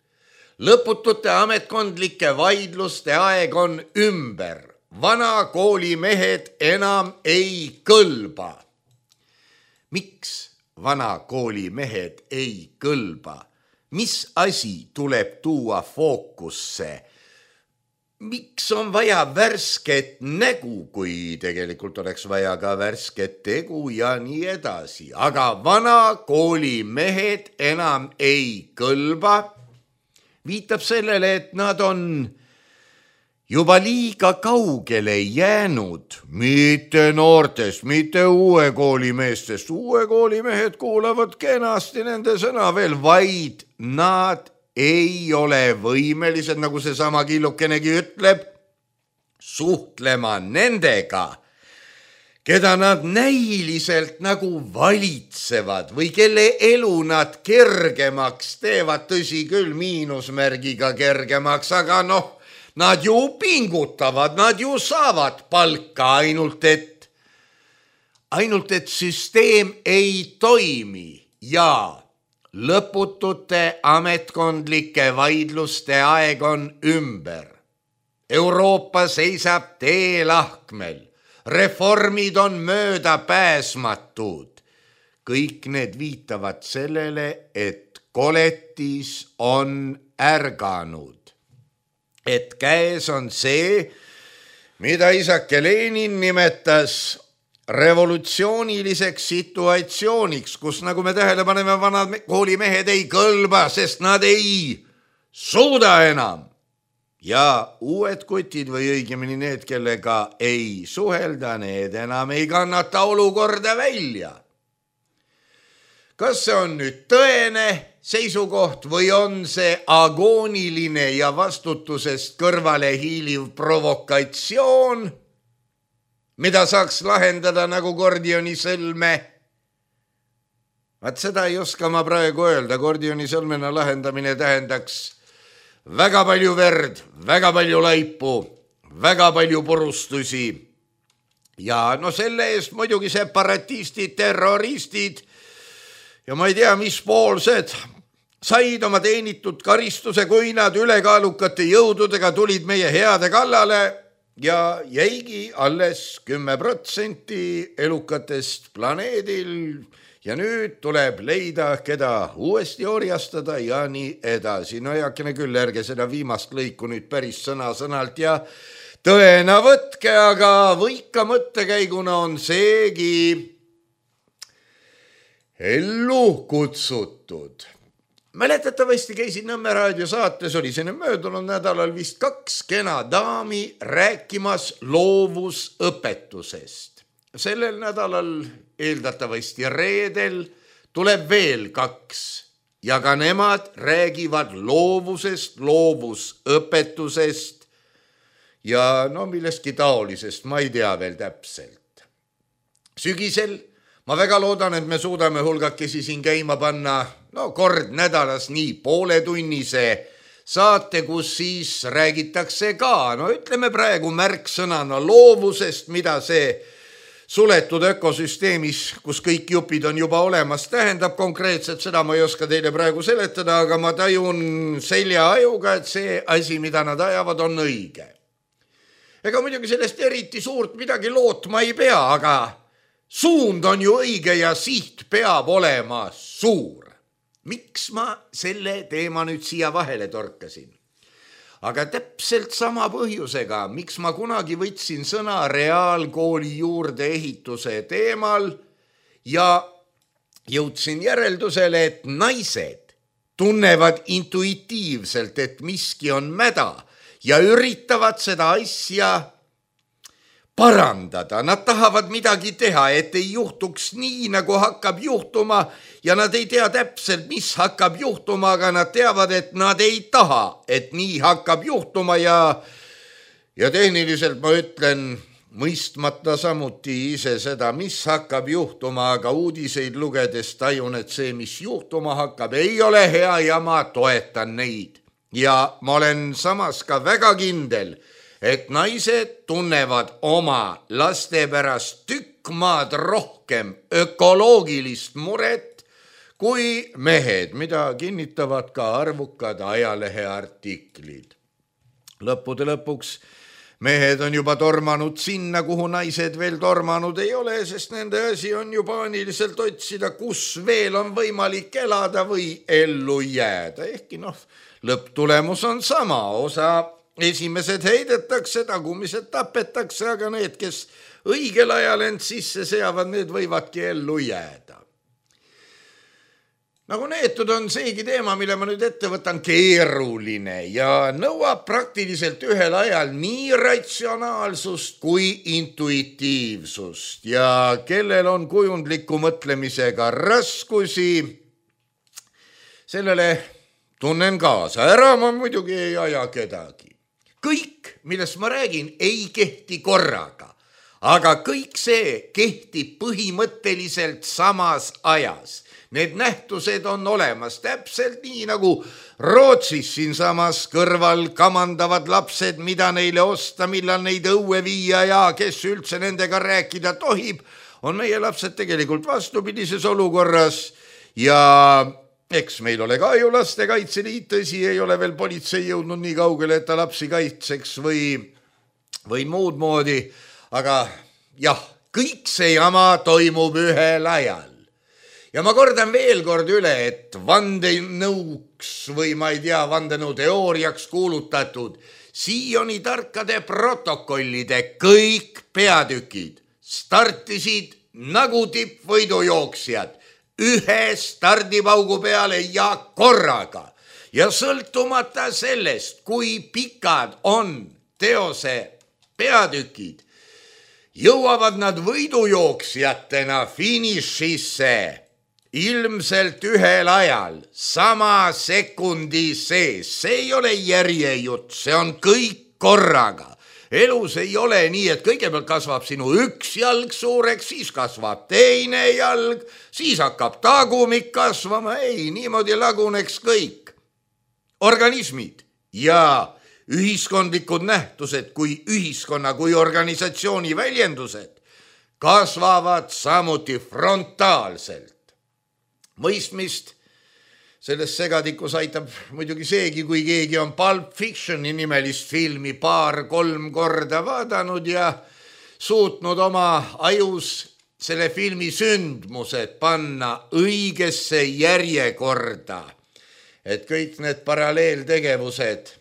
Lõputute ametkondlike vaidluste aeg on ümber. Vana koolimehed enam ei kõlba. Miks vana koolimehed ei kõlba? Mis asi tuleb tuua fookusse? Miks on vaja värsket nägu, kui tegelikult oleks vaja ka värsket tegu ja nii edasi? Aga vana koolimehed enam ei kõlba. Viitab sellele, et nad on juba liiga kaugele jäänud, mitte noortest, mitte uue koolimeestest. Uue koolimehed kuulavad kenasti nende sõna veel, vaid nad ei ole võimelised, nagu see sama killukenegi ütleb, suhtlema nendega, keda nad näiliselt nagu valitsevad või kelle elu nad kergemaks teevad, tõsi küll, miinusmärgiga kergemaks, aga noh, nad ju pingutavad, nad ju saavad palka, ainult et süsteem ei toimi ja lõputute ametkondlike vaidluste aeg on ümber. Euroopa seisab teelahkmel, reformid on möödapääsmatud. Kõik need viitavad sellele, et koletis on ärganud. Et käes on see, mida isake Lenin nimetas revolutsiooniliseks situatsiooniks, kus, nagu me tähele paneme, vanad koolimehed ei kõlba, sest nad ei suuda enam. Ja uued kutid või õigemini need, kellega ei suhelda, need enam ei kannata olukorda välja. Kas see on nüüd tõene seisukoht või on see agooniline ja vastutusest kõrvale hiiliv provokatsioon, mida saaks lahendada nagu Gordioni sõlme? Vaat seda ei oska ma praegu öelda. Gordioni sõlmena lahendamine tähendaks väga palju verd, väga palju laipu, väga palju purustusi. Ja no selle eest muidugi separatistid, terroristid ja ma ei tea, mis poolsed said oma teenitud karistuse, kui nad ülekaalukate jõududega tulid meie heade kallale ja jäigi alles 10% elukatest planeedil ja nüüd tuleb leida, keda uuesti orjastada ja nii edasi. No heakene küll, ärge seda viimast lõiku nüüd päris sõna-sõnalt ja tõena võtke, aga võika mõttekäiguna on seegi ellu kutsutud. Mäletatavasti käisin Nõmme raadio saates, oli see möödunud nädalal vist 2 kena daami rääkimas loovusõpetusest. Sellel nädalal, eeldatavasti reedel, tuleb veel 2 ja ka nemad räägivad loovusest, loovusõpetusest ja no millestki taolisest, ma ei tea veel täpselt. Sügisel ma väga loodan, et me suudame hulgakesi siin käima panna kord nädalas nii pooletunnise saate, kus siis räägitakse ka, ütleme praegu märksõnana loovusest, mida see suletud ökosüsteemis, kus kõik jupid on juba olemas, tähendab konkreetselt, seda ma ei oska teile praegu seletada, aga ma tajun seljaajuga, et see asi, mida nad ajavad, on õige. Ega muidugi sellest eriti suurt midagi lootma ei pea, aga suund on ju õige ja siht peab olema suur. Miks ma selle teema nüüd siia vahele torkasin? Aga täpselt sama põhjusega, miks ma kunagi võtsin sõna reaalkooli juurde ehituse teemal ja jõudsin järeldusele, et naised tunnevad intuitiivselt, et miski on mäda ja üritavad seda asja parandada. Nad tahavad midagi teha, et ei juhtuks nii, nagu hakkab juhtuma ja nad ei tea täpselt, mis hakkab juhtuma, aga nad teavad, et nad ei taha, et nii hakkab juhtuma ja tehniliselt ma ütlen, mõistmata samuti ise seda, mis hakkab juhtuma, aga uudiseid lugedes tajun, et see, mis juhtuma hakkab, ei ole hea ja ma toetan neid. Ja ma olen samas ka väga kindel, et naised tunnevad oma laste pärast tükk maad rohkem ökoloogilist muret kui mehed, mida kinnitavad ka arvukad ajaleheartiklid. Lõppude lõpuks mehed on juba tormanud sinna, kuhu naised veel tormanud ei ole, sest nende asi on ju paaniliselt otsida, kus veel on võimalik elada või ellu jääda. Ehkki lõpptulemus on sama, osa esimesed heidetakse, tagumised tapetakse, aga need, kes õigel ajal end sisse seavad, need võivadki ellu jääda. Nagu neetud on seegi teema, mille ma nüüd ette võtan, keeruline ja nõuab praktiliselt ühel ajal nii ratsionaalsust kui intuitiivsust ja kellel on kujundliku mõtlemisega raskusi, sellele tunnen kaasa. Ära ma muidugi ei aja kedagi. Kõik, millest ma räägin, ei kehti korraga. aga kõik see kehtib põhimõtteliselt samas ajas. Need nähtused on olemas täpselt nii nagu Rootsis siinsamas kõrval kamandavad lapsed, mida neile osta, millal neid õue viia ja kes üldse nendega rääkida tohib, on meie lapsed tegelikult vastupidises olukorras ja eks meil ole ka ju Lastekaitseliit, tõsi, ei ole veel politsei jõudnud nii kaugele, et ta lapsi kaitseks või muud moodi, aga jah, kõik see jama toimub ühel ajal. Ja ma kordan veel kord üle, et vandenõuks või ma ei tea, vandenõuteooriaks kuulutatud Sioni tarkade protokollide kõik peatükid startisid nagu tippvõidujooksjad ühe stardipaugu peale ja korraga. Ja sõltumata sellest, kui pikad on teose peatükid, jõuavad nad võidujooksjatena finišisse ilmselt ühel ajal, sama sekundi sees. See ei ole järjejutt, see on kõik korraga. Elus ei ole nii, et kõigepealt kasvab sinu üks jalg suureks, siis kasvab teine jalg, siis hakkab tagumik kasvama. Ei, niimoodi laguneks kõik. Organismid ja ühiskondlikud nähtused kui ühiskonna, kui organisatsiooni väljendused kasvavad samuti frontaalselt. Mõistmist selles segadikus aitab muidugi seegi, kui keegi on Pulp Fictioni nimelist filmi 2-3 korda vaadanud ja suutnud oma ajus selle filmi sündmused panna õigesse järjekorda, et kõik need paralleeltegevused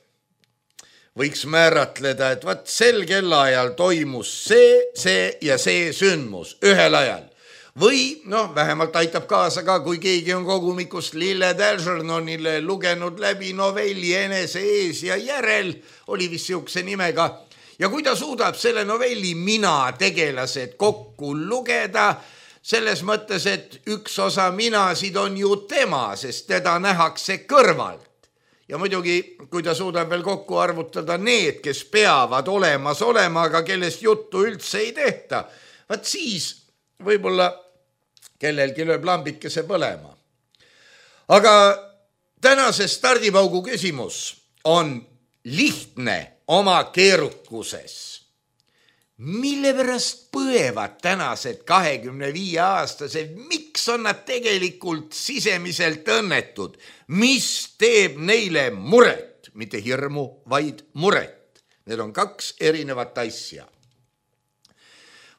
võiks määratleda, et vaat sel kellaajal toimus see ja see sündmus ühel ajal. Või vähemalt aitab kaasa ka, kui keegi on kogumikust Lilled Algernonile lugenud läbi novelli Enese ees ja järel, oli vist siukse nimega, ja kui ta suudab selle novelli mina tegelased kokku lugeda, selles mõttes, et üks osa minasid on ju tema, sest teda nähakse kõrvalt. Ja muidugi, kui ta suudab veel kokku arvutada need, kes peavad olemas olema, aga kellest juttu üldse ei tehta, vaat siis võib-olla kellelgi lööb lambikese põlema. Aga tänase stardipaugu küsimus on lihtne oma keerukuses. Mille pärast põevad tänased 25-aastased? Miks on nad tegelikult sisemiselt õnnetud? Mis teeb neile muret? Mitte hirmu, vaid muret. Need on kaks erinevat asja.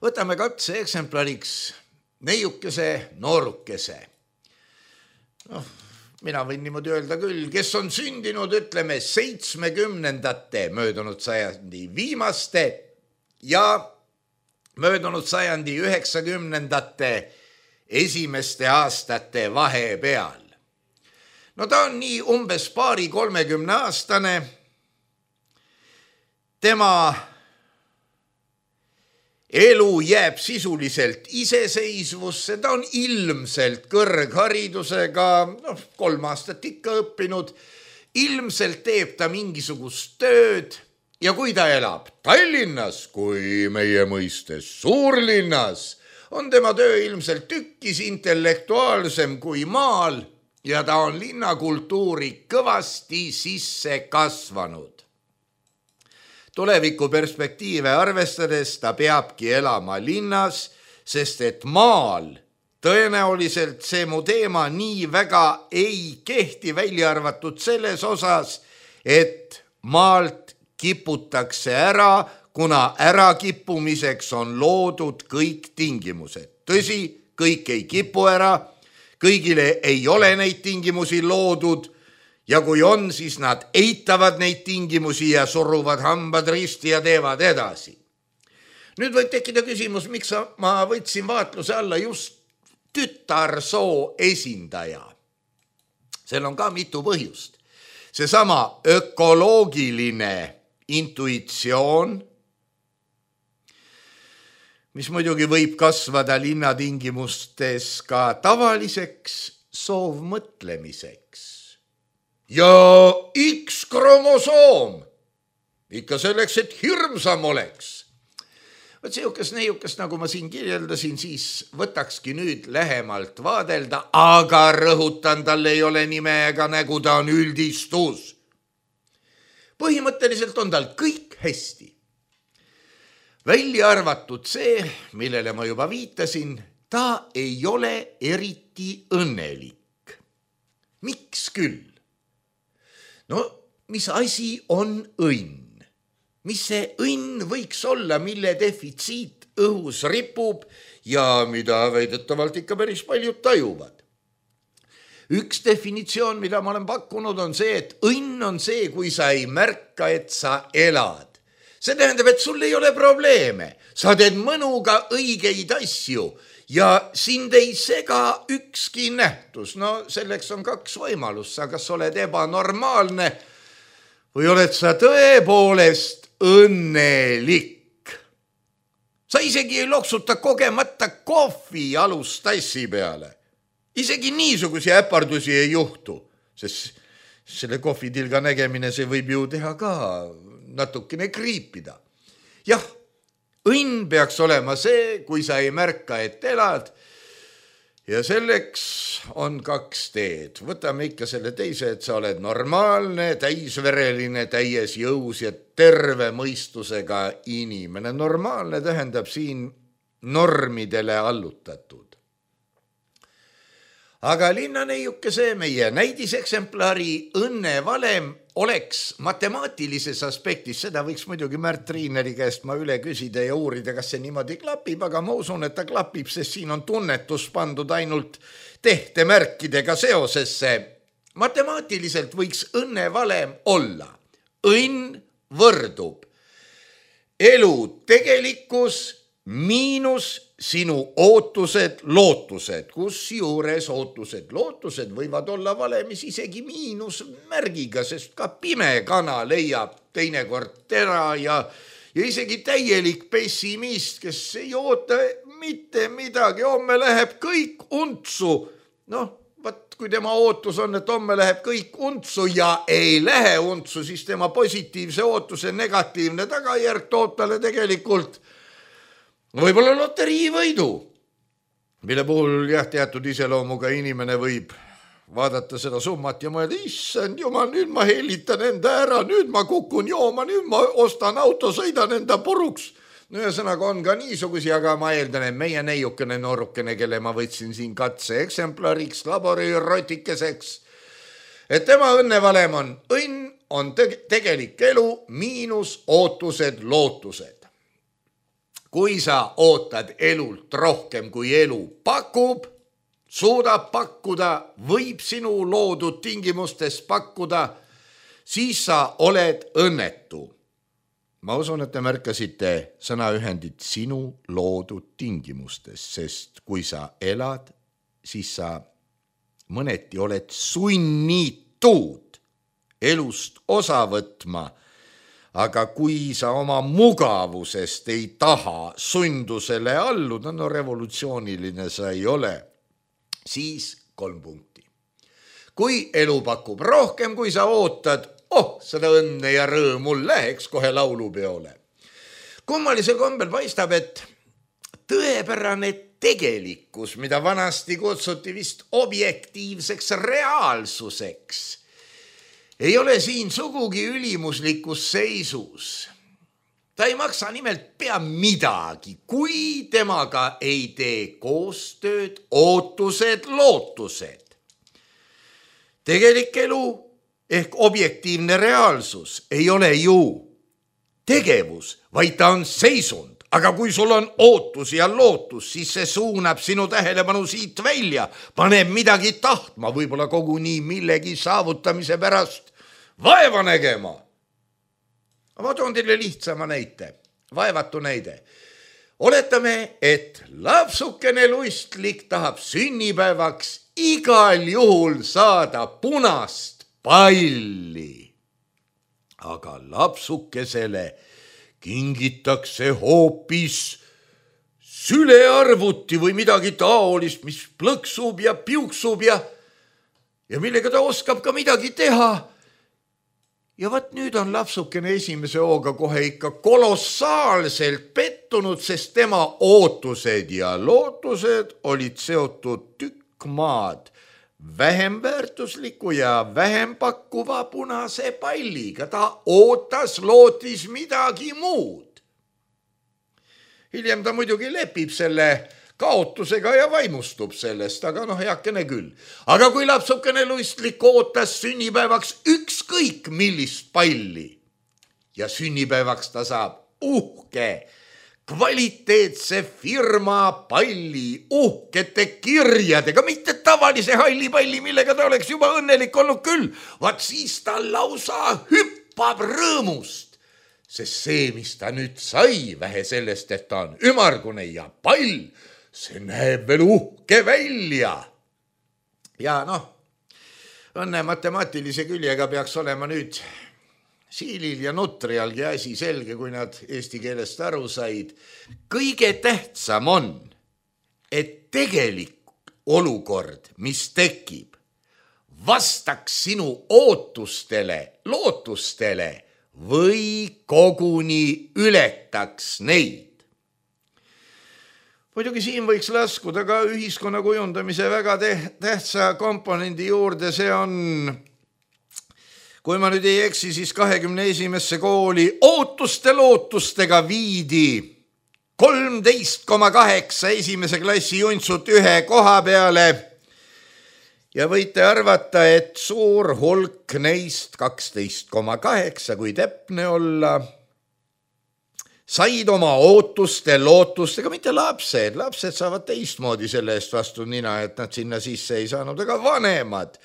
Võtame katse eksemplariks neiukese noorukese. Mina võin niimoodi öelda küll, kes on sündinud, ütleme, 70ndate möödunud sajandi viimaste ja möödunud sajandi 90ndate esimeste aastate vahepeal. Ta on nii umbes 20-30 aastane. Tema elu jääb sisuliselt iseseisvusse, ta on ilmselt kõrgharidusega, 3 aastat ikka õppinud, ilmselt teeb ta mingisugust tööd ja kui ta elab Tallinnas, kui meie mõistes suurlinnas, on tema töö ilmselt tükkis intellektuaalsem kui maal ja ta on linnakultuuri kõvasti sisse kasvanud. Tulevikuperspektiive arvestades ta peabki elama linnas, sest et maal tõenäoliselt see mu teema nii väga ei kehti, välja arvatud selles osas, et maalt kiputakse ära, kuna ärakippumiseks on loodud kõik tingimused. Tõsi, kõik ei kipu ära, kõigile ei ole neid tingimusi loodud, ja kui on, siis nad eitavad neid tingimusi ja suruvad hambad risti ja teevad edasi. Nüüd võib tekkida küsimus, miks ma võtsin vaatluse alla just tütarsoo esindaja. Seal on ka mitu põhjust. Seesama ökoloogiline intuitsioon, mis muidugi võib kasvada linnatingimustes ka tavaliseks soovmõtlemiseks. Ja X-kromosoom, ikka selleks, et hirmsam oleks. Võt sihukest neiukest, nagu ma siin kirjeldasin, siis võtakski nüüd lähemalt vaadelda, aga rõhutan, tal ei ole nime ega nägu, ta on üldistus. Põhimõtteliselt on tal kõik hästi. Välja arvatud see, millele ma juba viitasin, ta ei ole eriti õnnelik. Miks küll? No, mis asi on õnn? Mis see õnn võiks olla, mille defitsiit õhus ripub ja mida väidetavalt ikka päris paljud tajuvad? Üks definitsioon, mida ma olen pakkunud, on see, et õnn on see, kui sa ei märka, et sa elad. See tähendab, et sul ei ole probleeme. Sa teed mõnuga õigeid asju ja sind ei sega ükski nähtus. No selleks on kaks võimalust. Sa kas oled ebanormaalne või oled sa tõepoolest õnnelik. Sa isegi ei loksuta kogemata kohvi alustassi peale. Isegi niisuguse äpardusi ei juhtu, sest selle kohvitilga nägemine see võib ju teha ka natukene kriipida. Jah, õnn peaks olema see, kui sa ei märka, et elad. Ja selleks on kaks teed. Võtame ikka selle teise, et sa oled normaalne, täisvereline, täies jõus ja terve mõistusega inimene. Normaalne tähendab siin normidele allutatud. Aga linnaneiuke see meie näidiseksemplari õnnevalem oleks matemaatilises aspektis, seda võiks muidugi Märt Triineri käest ma üle küsida ja uurida, kas see niimoodi klapib, aga ma usun, et ta klapib, sest siin on tunnetus pandud ainult tehtemärkidega seosesse. Matemaatiliselt võiks õnnevalem olla. Õnn võrdub elu tegelikkus miinus sinu ootused, lootused, kus juures ootused, lootused võivad olla valemis isegi miinusmärgiga, sest ka pime kana leiab teinekord tera ja isegi täielik pessimist, kes ei oota mitte midagi, homme läheb kõik untsu. Noh, kui tema ootus on, et homme läheb kõik untsu ja ei lähe untsu, siis tema positiivse ootuse negatiivne tagajärg toob talle tegelikult võib-olla loteriivõidu, mille puhul jah, teatud iseloomuga inimene võib vaadata seda summat ja mõelda, issand jumal, nüüd ma helitan enda ära, nüüd ma kukun jooma, nüüd ma ostan auto, sõidan enda puruks. No ühesõnaga on ka niisugusi, aga ma eeldan, et meie neiukene noorukene, kelle ma võtsin siin katse eksemplariks, laborirotikeseks, et tema õnnevalem on õnn, on tegelik elu miinus ootused, lootused. Kui sa ootad elult rohkem, kui elu pakub, suudab pakkuda, võib sinu loodud tingimustes pakkuda, siis sa oled õnnetu. Ma usun, et te märkasite sõnaühendit sinu loodud tingimustes, sest kui sa elad, siis sa mõneti oled sunnitud elust osa võtma. Aga kui sa oma mugavusest ei taha sundusele alluda, no revolutsiooniline sa ei ole, siis 3 punkti. Kui elu pakub rohkem, kui sa ootad, seda õnne ja rõõmu läheks kohe laulupeole. Kummalisel kombel paistab, et tõepärane tegelikkus, mida vanasti kutsuti vist objektiivseks reaalsuseks, ei ole siin sugugi ülimuslikus seisus. Ta ei maksa nimelt pea midagi, kui temaga ei tee koostööd, ootused, lootused. Tegelik elu ehk objektiivne reaalsus ei ole ju tegevus, vaid ta on seisund. Aga kui sul on ootus ja lootus, siis see suunab sinu tähelepanu siit välja, paneb midagi tahtma, võib-olla koguni millegi saavutamise pärast vaeva nägema. Ma toon teile lihtsama näite, vaevatu näide. Oletame, et lapsukene lustlik tahab sünnipäevaks igal juhul saada punast palli. Aga lapsukesele kingitakse hoopis sülearvuti või midagi taolist, mis plõksub ja piuksub ja millega ta oskab ka midagi teha. ja võt nüüd on lapsukene esimese hooga kohe ikka kolossaalselt pettunud, sest tema ootused ja lootused olid seotud tükk maad vähem väärtusliku ja vähem pakkuva punase palliga. Ta lootis midagi muud. Hiljem ta muidugi lepib selle kaotusega ja vaimustub sellest, aga heakene küll. Aga kui lapsukene luistlik ootas sünnipäevaks ükskõik millist palli ja sünnipäevaks ta saab uhke, kvaliteetse firma palli, uhkete kirjadega, mitte tavalise halli palli, millega ta oleks juba õnnelik olnud küll, vaat siis ta lausa hüppab rõõmust. Sest see, mis ta nüüd sai, vähe sellest, et ta on ümargune ja pall, see näeb veel uhke välja. Ja õnne matemaatilise küljega peaks olema nüüd Siilil ja Nutrialgi asi selge, kui nad eesti keelest aru said. Kõige tähtsam on, et tegelik olukord, mis tekib, vastaks sinu ootustele, lootustele või koguni ületaks neid. Muidugi siin võiks laskuda ka ühiskonna kujundamise väga tähtsa komponendi juurde, see on, kui ma nüüd ei eksi, siis 21. kooli ootuste-lootustega viidi 13,8 esimese klassi juntsut ühe koha peale ja võite arvata, et suur hulk neist 12,8, kui täpne olla, said oma ootuste-lootustega, mitte lapsed saavad teistmoodi selle eest vastu nina, et nad sinna sisse ei saanud, aga vanemad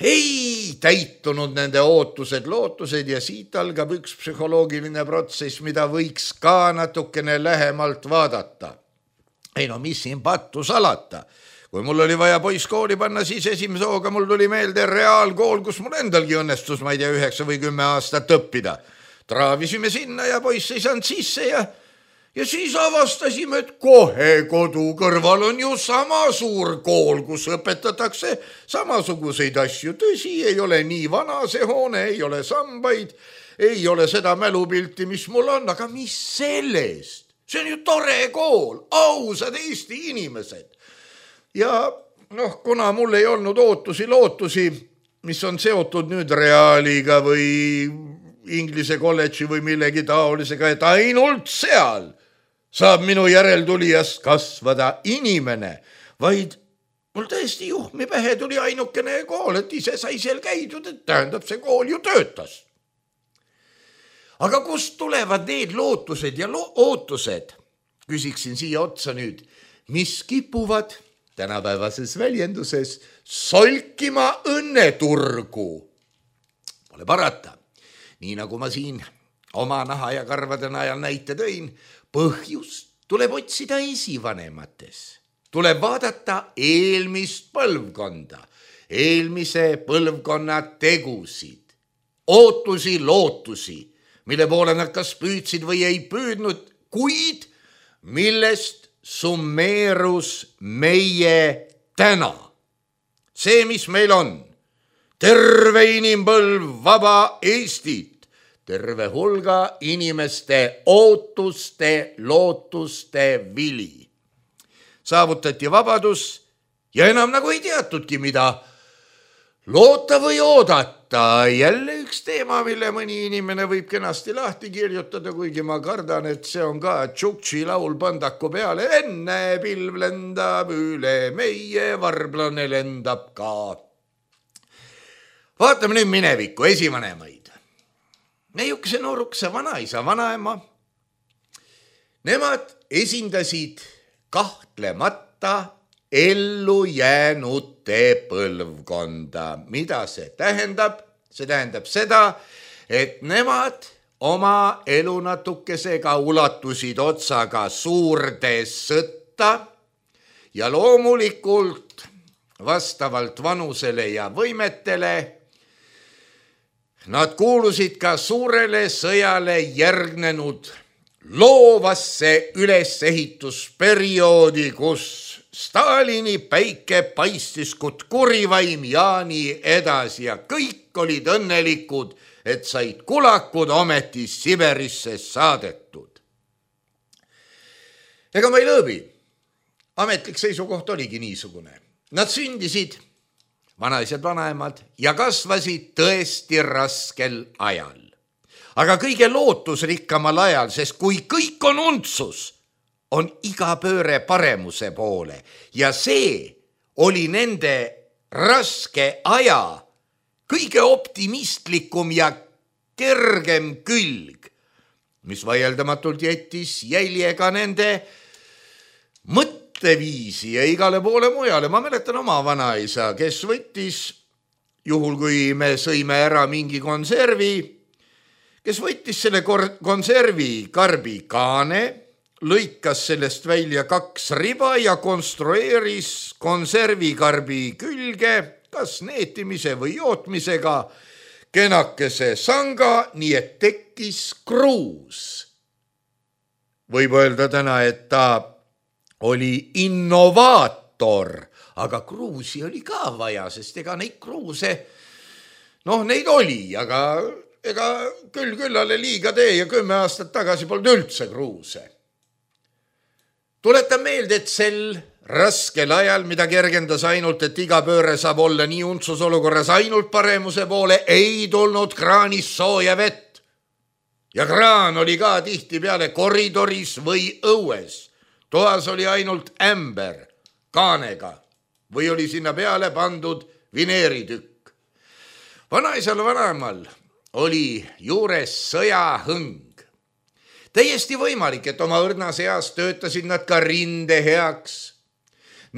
ei täitunud nende ootused-lootused ja siit algab üks psühholoogiline protsess, mida võiks ka natukene lähemalt vaadata. Ei mis siin pattu salata. Kui mul oli vaja poiss kooli panna, siis esimese hooga mul tuli meelde reaalkool, kus mul endalgi õnnestus, ma ei tea, 9 või 10 aastat õppida. Traavisime sinna ja poiss ei saanud sisse ja siis avastasime, et kohe kodu kõrval on ju sama suur kool, kus õpetatakse samasuguseid asju. Tõsi, ei ole nii vana see hoone, ei ole sambaid, ei ole seda mälupilti, mis mul on, aga mis sellest? See on ju tore kool, ausad Eesti inimesed. Ja kuna mul ei olnud lootusi, mis on seotud nüüd reaaliga või Inglise kolledži või millegi taolisega, et ainult seal saab minu järeltulijast kasvada inimene, vaid mul tõesti juhmi pähe tuli ainukene kool, et ise sai seal käidud, et tähendab, see kool ju töötas. Aga kust tulevad need lootused ja ootused, küsiksin siia otsa nüüd, mis kipuvad tänapäevases väljenduses solkima õnneturgu? Pole parata. Nii nagu ma siin oma naha ja karvade najal näite tõin, põhjust tuleb otsida esivanemates. Tuleb vaadata eelmist põlvkonda, eelmise põlvkonna tegusid, ootusi, lootusi, mille poole nad kas püüdsid või ei püüdnud, kuid millest summeerus meie täna. See, mis meil on, terve inimpõlv, vaba Eestit, terve hulga inimeste ootuste, lootuste vili. Saavutati vabadus ja enam nagu ei teatudki, mida loota või oodata. Jälle üks teema, mille mõni inimene võib kenasti lahti kirjutada, kuigi ma kardan, et see on ka Tšuktši laul Pandaku peale. Enne pilv lendab üle meie, varblane lendab ka. Vaatame nüüd minevikku, esivanemaid. Meiukese noorukese vanaisa, vanaema. Nemad esindasid kahtlemata ellu jäänute põlvkonda. Mida see tähendab? See tähendab seda, et nemad oma elu natukesega ulatusid otsaga suurde sõtta ja loomulikult vastavalt vanusele ja võimetele nad kuulusid ka suurele sõjale järgnenud loovasse ülesehitusperioodi, kus Stalini päike paistis kut kurivaim Jaani edasi ja kõik olid õnnelikud, et said kulakud ometi Siberisse saadetud. Ega ma ei lõõbi. Ametlik seisukoht oligi niisugune. Nad sündisid, vanaisad, vanaemad, ja kasvasid tõesti raskel ajal. Aga kõige lootusrikkamal ajal, sest kui kõik on untsus, on iga pööre paremuse poole ja see oli nende raske aja kõige optimistlikum ja kergem külg, mis vaieldamatult jättis jälje ka nende mõtteviisi ja igale poole mujale. Ma mäletan oma vanaisa, kes võttis, juhul kui me sõime ära mingi konservi, kes võttis selle konservi karbi kaane, lõikas sellest välja 2 riba ja konstrueeris konservikarbi külge, kas neetimise või jootmisega, kenakese sanga, nii et tekkis kruus. Võib öelda täna, et ta oli innovaator, aga kruusi oli ka vaja, sest ega neid kruuse, neid oli, aga ega küllale liiga tee ja 10 aastat tagasi polnud üldse kruuse. Tuletan meelde, et sel raskel ajal, mida kergendas ainult, et iga pööre saab olla nii untsus olukorras ainult paremuse poole, ei tulnud kraanis sooja vett. Ja kraan oli ka tihti peale koridoris või õues. Toas oli ainult ämber kaanega või oli sinna peale pandud vineeritükk. Vanaisal vanaemal oli juures sõjahõng. Täiesti võimalik, et oma õrnas eas töötasid nad ka rinde heaks.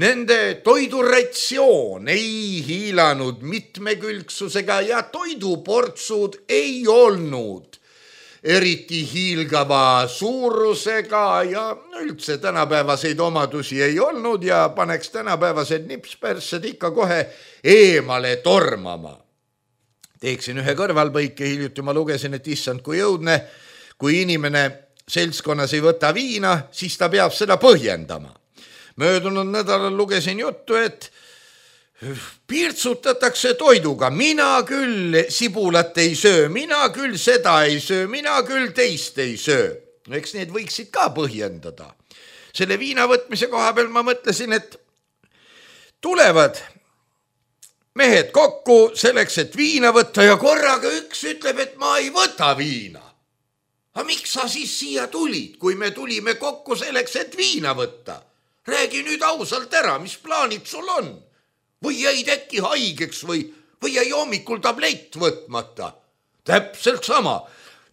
Nende toiduratsioon ei hiilanud mitmekülgsusega ja toiduportsud ei olnud eriti hiilgava suurusega ja üldse tänapäevaseid omadusi ei olnud ja paneks tänapäevased nipsperssed ikka kohe eemale tormama. Teeksin ühe kõrvalpõike, hiljuti ma lugesin, et issand kui jõudne, kui inimene seltskonnas ei võta viina, siis ta peab seda põhjendama. Möödunud nädalal lugesin juttu, et pirtsutatakse toiduga. Mina küll sibulat ei söö, mina küll seda ei söö, mina küll teist ei söö. Eks need võiksid ka põhjendada. Selle viina võtmise koha peal ma mõtlesin, et tulevad mehed kokku selleks, et viina võtta ja korraga üks ütleb, et ma ei võta viina. Aga miks sa siis siia tulid, kui me tulime kokku selleks, et viina võtta? Räägi nüüd ausalt ära, mis plaanid sul on? Või jäid äkki haigeks või jäi hommikul tablett võtmata? Täpselt sama.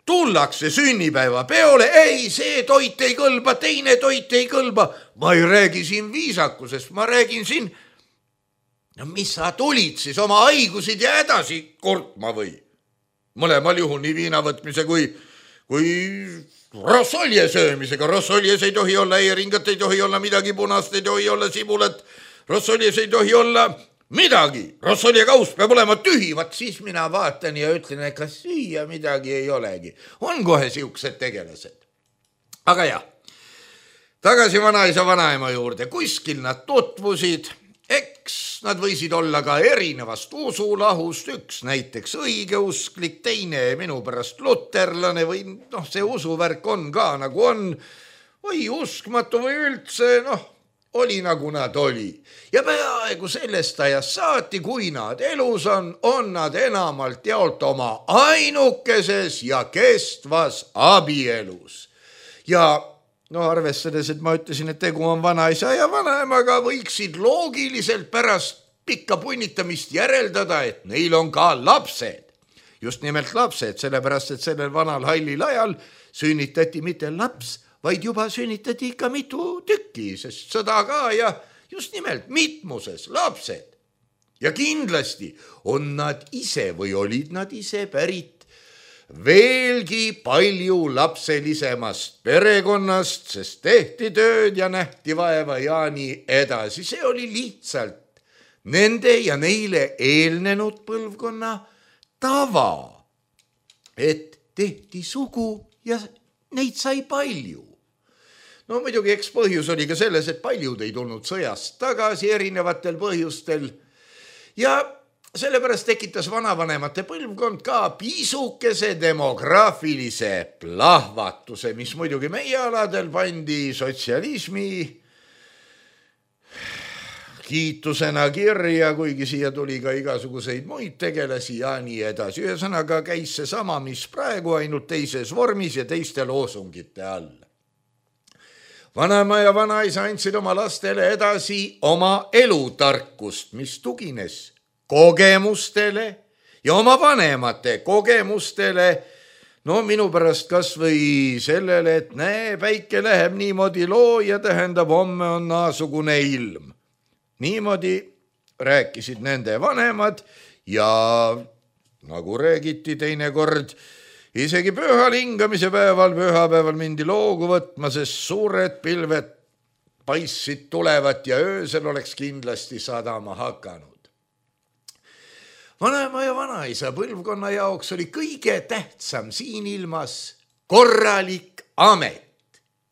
Tullakse sünnipäeva peole, ei, see toit ei kõlba, teine toit ei kõlba. Ma ei räägi siin viisakusest, ma räägin siin, mis sa tulid siis oma haigusid ja edasi kurtma või? Mõlemal juhul nii viina võtmise kui rossolje söömisega. Rossoljes ei tohi olla eeringat, ei tohi olla midagi punast, ei tohi olla sibulat. Rossoljes ei tohi olla midagi. Rossolje kaus peab olema tühi. Vaat siis mina vaatan ja ütlen, et kas süüa midagi ei olegi. On kohe siuksed tegelased. Aga jah, tagasi vanaisa vanaema juurde. Kuskil nad tutvusid. Eks nad võisid olla ka erinevast usulahust, üks näiteks õigeusklik, teine minu pärast luterlane või see usuvärk on ka nagu on, või uskmatu või üldse, oli nagu nad oli. Ja peaaegu sellest ajast saati, kui nad elus on nad enamalt jaolt oma ainukeses ja kestvas abielus. Ja arvestades, et ma ütlesin, et tegu on vanaisa ja vanaemaga, võiksid loogiliselt pärast pikka punnitamist järeldada, et neil on ka lapsed. Just nimelt lapsed, sellepärast, et sellel vanal hallil ajal sünnitati mitte laps, vaid juba sünnitati ikka mitu tükki, sest sõda ka ja just nimelt mitmuses lapsed. Ja kindlasti on nad ise või olid nad ise pärit veelgi palju lapselisemast perekonnast, sest tehti tööd ja nähti vaeva ja nii edasi. See oli lihtsalt nende ja neile eelnenud põlvkonna tava, et tehti sugu ja neid sai palju. No muidugi eks põhjus oli ka selles, et paljud ei tulnud sõjast tagasi erinevatel põhjustel ja sellepärast tekitas vanavanemate põlvkond ka pisukese demograafilise plahvatuse, mis muidugi meie aladel pandi sotsialismi kiitusena kirja, kuigi siia tuli ka igasuguseid muid tegelasi ja nii edasi. Ühesõnaga käis see sama, mis praegu, ainult teises vormis ja teiste loosungite all. Vanaema ja vanaisa andsid oma lastele edasi oma elutarkust, mis tugines kogemustele ja oma vanemate kogemustele. No minu pärast kas või sellele, et näe, päike läheb niimoodi loo ja tähendab, homme on naasugune ilm. Niimoodi rääkisid nende vanemad ja nagu räägiti teinekord, isegi pühal hingamise päeval, pühapäeval mindi loogu võtma, sest suured pilved paissid tulevat ja öösel oleks kindlasti sadama hakanud. Vanaema ja vanaisa põlvkonna jaoks oli kõige tähtsam siin ilmas korralik amet,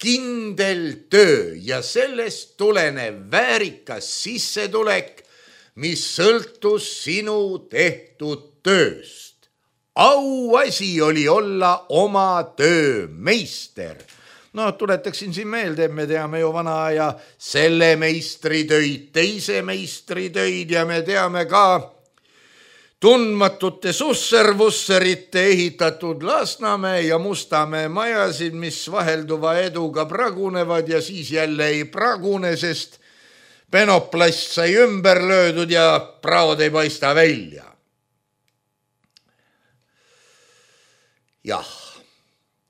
kindel töö ja sellest tulenev väärikas sissetulek, mis sõltus sinu tehtud tööst. Auasi oli olla oma töö meister. No tuletaksin siin meelde, et me teame ju vana aja selle meistri töid, teise meistri töid ja me teame ka tundmatute susservusserite ehitatud Lasnamäe ja Mustamäe majasid, mis vahelduva eduga pragunevad ja siis jälle ei pragune, sest penoplast sai ümber löödud ja praod ei paista välja. Jah,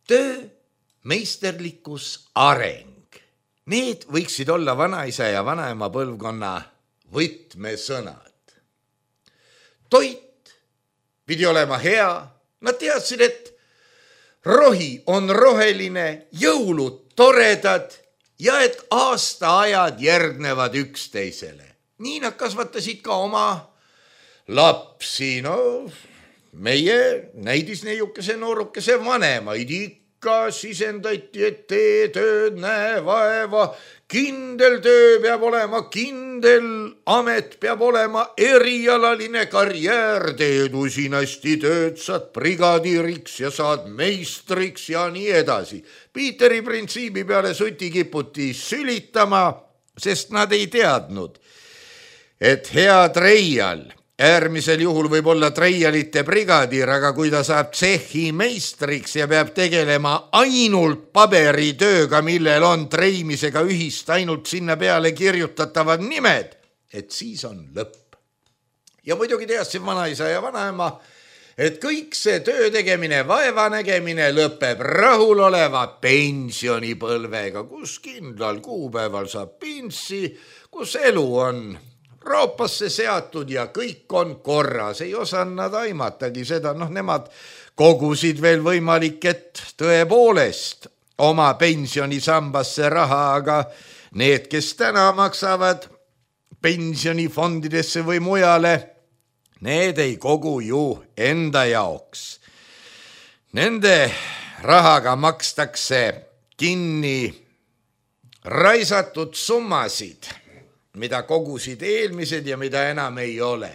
töö, meisterlikkus, areng. Need võiksid olla vanaisa ja vanaema põlvkonna võtmesõnad. Toit pidi olema hea. Nad teadsid, et rohi on roheline, jõulud toredad ja et aastaajad järgnevad üksteisele. Nii nad kasvatasid ka oma lapsi. No meie näidisneiukese noorukese vanemaid ikka sisendati, et tee tööd, näe vaeva, kindel töö peab olema, kindel amet peab olema, erialaline karjäär, teed usinasti tööd, saad brigadiiriks ja saad meistriks ja nii edasi. Piiteri printsiibi peale suti kiputi sülitama, sest nad ei teadnud, et hea treial äärmisel juhul võib olla treialite brigadiir, aga kui ta saab tsehhi meistriks ja peab tegelema ainult paberitööga, millel on treimisega ühist ainult sinna peale kirjutatavad nimed, et siis on lõpp. Ja muidugi teadsin vanaisa ja vanaema, et kõik see töö tegemine, vaeva nägemine lõpeb rahuloleva pensionipõlvega, kus kindlal kuupäeval saab pinssi, kus elu on roopasse seatud ja kõik on korras. Ei osanud nad aimatagi seda, nemad kogusid veel võimalik, et tõepoolest oma pensionisambasse raha, aga need, kes täna maksavad pensionifondidesse või mujale, need ei kogu ju enda jaoks. Nende rahaga makstakse kinni raisatud summasid, mida kogusid eelmised ja mida enam ei ole.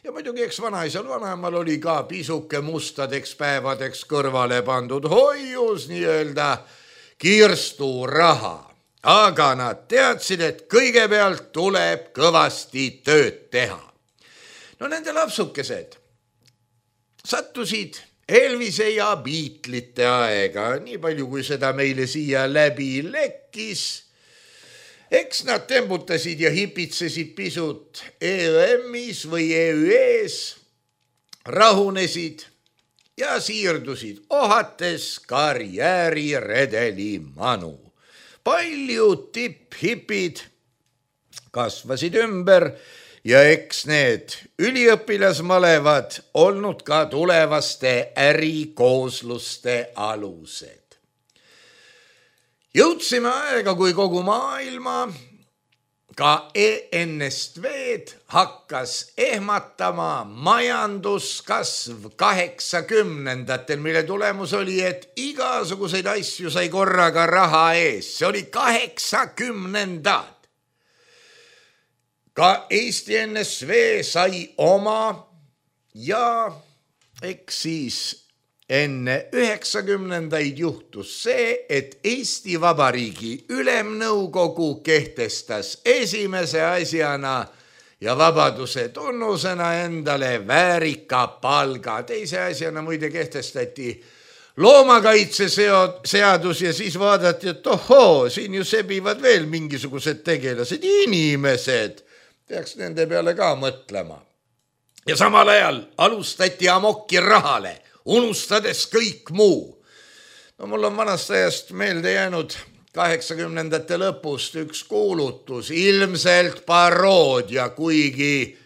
Ja muidugi eks vanaisal vanaemal oli ka pisuke mustadeks päevadeks kõrvale pandud hoius nii-öelda kirsturaha. Aga nad teadsid, et kõigepealt tuleb kõvasti tööd teha. No nende lapsukesed sattusid Elvise ja Beatlesite aega, nii palju kui seda meile siia läbi lekkis. Eks nad tembutasid ja hipitsesid pisut EÜM-is või EÜE-s, rahunesid ja siirdusid ohates karjääriredeli manu. Paljud tipphipid kasvasid ümber ja eks need üliõpilasmalevad olnud ka tulevaste ärikoosluste alused. Jõudsime aega, kui kogu maailma ka ENSV-d hakkas ehmatama majanduskasv 80-ndatel, mille tulemus oli, et igasuguseid asju sai korraga raha ees. See oli 80-ndad. Ka Eesti NSV sai oma ja eks siis enne 90-ndaid juhtus see, et Eesti Vabariigi Ülemnõukogu kehtestas esimese asjana ja vabaduse tunnusena endale väärika palga. Teise asjana muide kehtestati loomakaitseseadus ja siis vaadati, et ohoo, siin ju sebivad veel mingisugused tegelased, inimesed. Peaks nende peale ka mõtlema. Ja samal ajal alustati amokki rahale, unustades kõik muu. No mul on vanast ajast meelde jäänud 80-ndate lõpust üks kuulutus, ilmselt paroodia, kuigi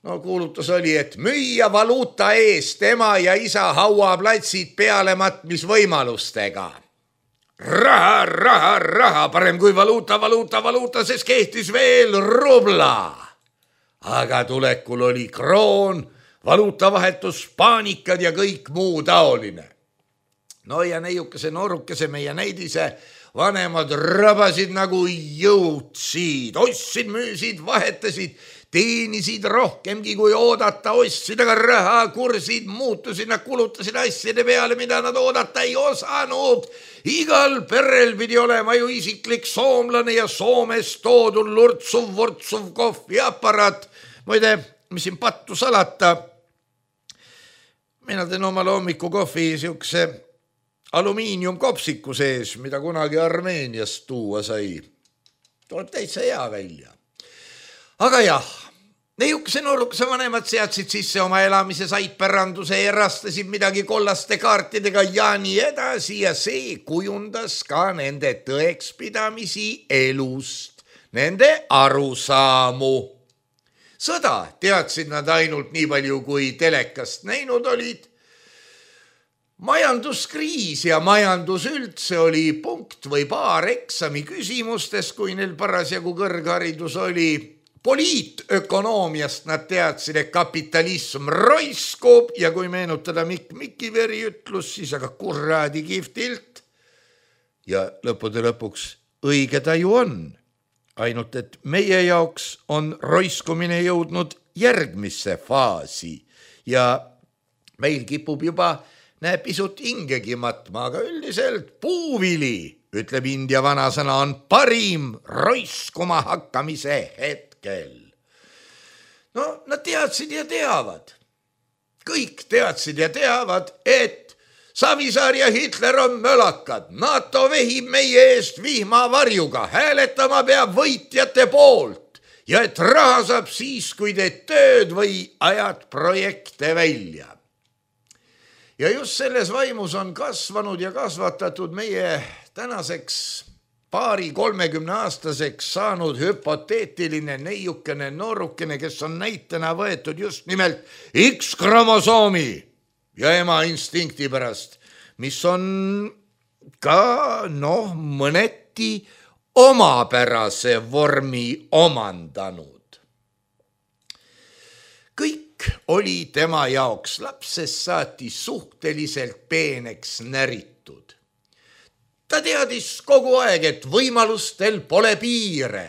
kuulutus oli, et müüa valuuta eest ema ja isa hauaplatsid pealematmisvõimalustega. Raha, parem kui valuuta, sest kehtis veel rubla. Aga tulekul oli kroon, valuutavahetus, paanikad ja kõik muu taoline. No ja neiukese noorukese meie näidise vanemad rabasid nagu jõudsid, ostsid, müüsid, vahetasid, teenisid rohkemgi kui oodata, ostsid, aga raha kursid muutusid, nad kulutasid asjade peale, mida nad oodata ei osanud. Igal perel pidi olema ju isiklik soomlane ja Soomest toodud lurtsuv kohviaparaat. Muide, mis siin pattu salata, mina teen omale hommikukohvi siukse alumiiniumkopsiku sees, mida kunagi Armeeniast tuua sai. Tuleb täitsa hea välja. Aga jah, neiukese noorukese vanemad seadsid sisse oma elamise saitpäranduse ja rastasid midagi kollaste kaartidega ja nii edasi ja see kujundas ka nende tõekspidamisi elust, nende arusaamu. Sõda teadsid nad ainult nii palju, kui telekast näinud olid. Majanduskriis ja majandus üldse oli punkt või paar eksami küsimustes, kui neil parasjagu kõrgharidus oli. Poliitökonoomiast nad teadsid, et kapitalism roiskub ja kui meenutada Mikki veri ütlus, siis aga kurraadi kihvtilt. Ja lõppude lõpuks õige ta ju on. Ainult, et meie jaoks on roiskumine jõudnud järgmisse faasi ja meil kipub juba pisut hingegi matma, aga üldiselt puuvili, ütleb India vanasõna, on parim roiskuma hakkamise hetkel. No, nad teadsid ja teavad. Kõik teadsid ja teavad, et Savisaar ja Hitler on mölakad. NATO vehib meie eest vihmavarjuga, hääletama peab võitjate poolt ja et raha saab siis, kui teed tööd või ajad projekte välja. Ja just selles vaimus on kasvanud ja kasvatatud meie tänaseks 20-30-aastaseks saanud hüpoteetiline neiukene noorukene, kes on näitena võetud just nimelt X-kromosoomi ja ema instinkti pärast, mis on ka mõneti omapärase vormi omandanud. Kõik oli tema jaoks lapsest saati suhteliselt peeneks näritud. Ta teadis kogu aeg, et võimalustel pole piire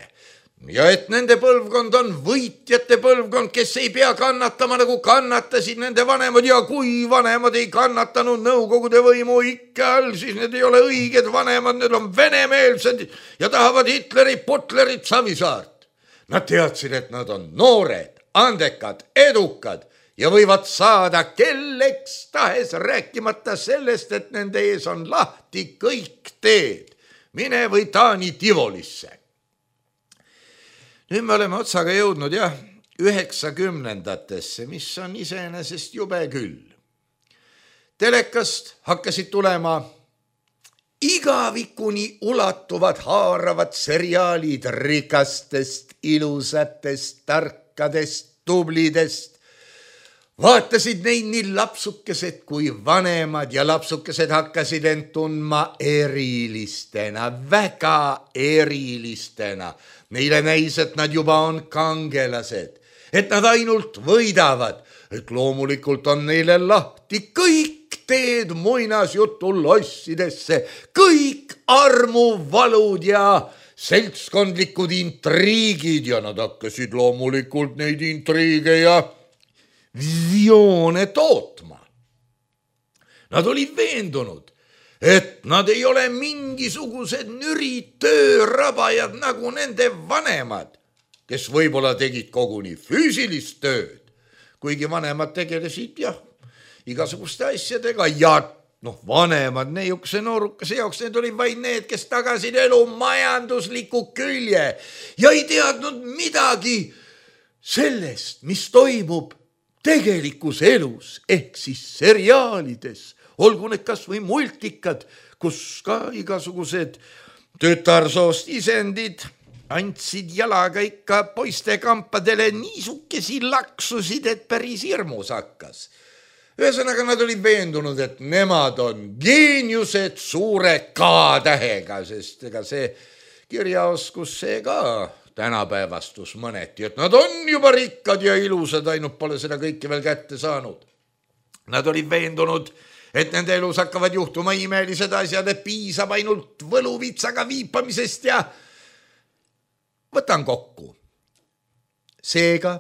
ja et nende põlvkond on võitjate põlvkond, kes ei pea kannatama nagu kannatasid nende vanemad ja kui vanemad ei kannatanud Nõukogude võimu ikka all, siis need ei ole õiged vanemad, need on venemeelsed ja tahavad Hitlerit, Putlerit, Savisaart. Nad teadsid, et nad on noored, andekad, edukad ja võivad saada kelleks tahes, rääkimata sellest, et nende ees on lahti kõik teed. Mine või Taani Tivolisse. Nüüd me oleme otsaga jõudnud 90-ndatesse, mis on iseenesest jube küll. Telekast hakkasid tulema igavikuni ulatuvad haaravad seriaalid rikastest, ilusatest, tarkadest, tublidest, vaatasid neid nii lapsukesed kui vanemad ja lapsukesed hakkasid end tundma erilistena, väga erilistena. Neile näis, et nad juba on kangelased, et nad ainult võidavad, et loomulikult on neile lahti kõik teed muinasjutu lossidesse, kõik armuvalud ja seltskondlikud intriigid ja nad hakkasid loomulikult neid intriige ja visioone tootma. Nad olid veendunud, et nad ei ole mingisugused nürid töörabajad nagu nende vanemad, kes võib-olla tegid koguni füüsilist tööd, kuigi vanemad tegelesid igasuguste asjadega ja vanemad neiukese noorukese jaoks, need olid vaid need, kes tagasid elu majandusliku külje ja ei teadnud midagi sellest, mis toimub tegelikus elus ehk siis seriaalides, olgu need kas või multikad, kus ka igasugused tütarsoost isendid andsid jalaga ikka poiste kampadele niisukesi laksusid, et päris hirmus hakkas. Ühesõnaga nad olid veendunud, et nemad on geeniused suure K-tähega, sest ega see kirjaoskus see ka tänapäevastus mõneti, et nad on juba rikkad ja ilusad, ainult pole seda kõike veel kätte saanud. Nad olid veendunud, et nende elus hakkavad juhtuma imelised asjad, et piisab ainult võluvitsaga viipamisest ja võtan kokku. Seega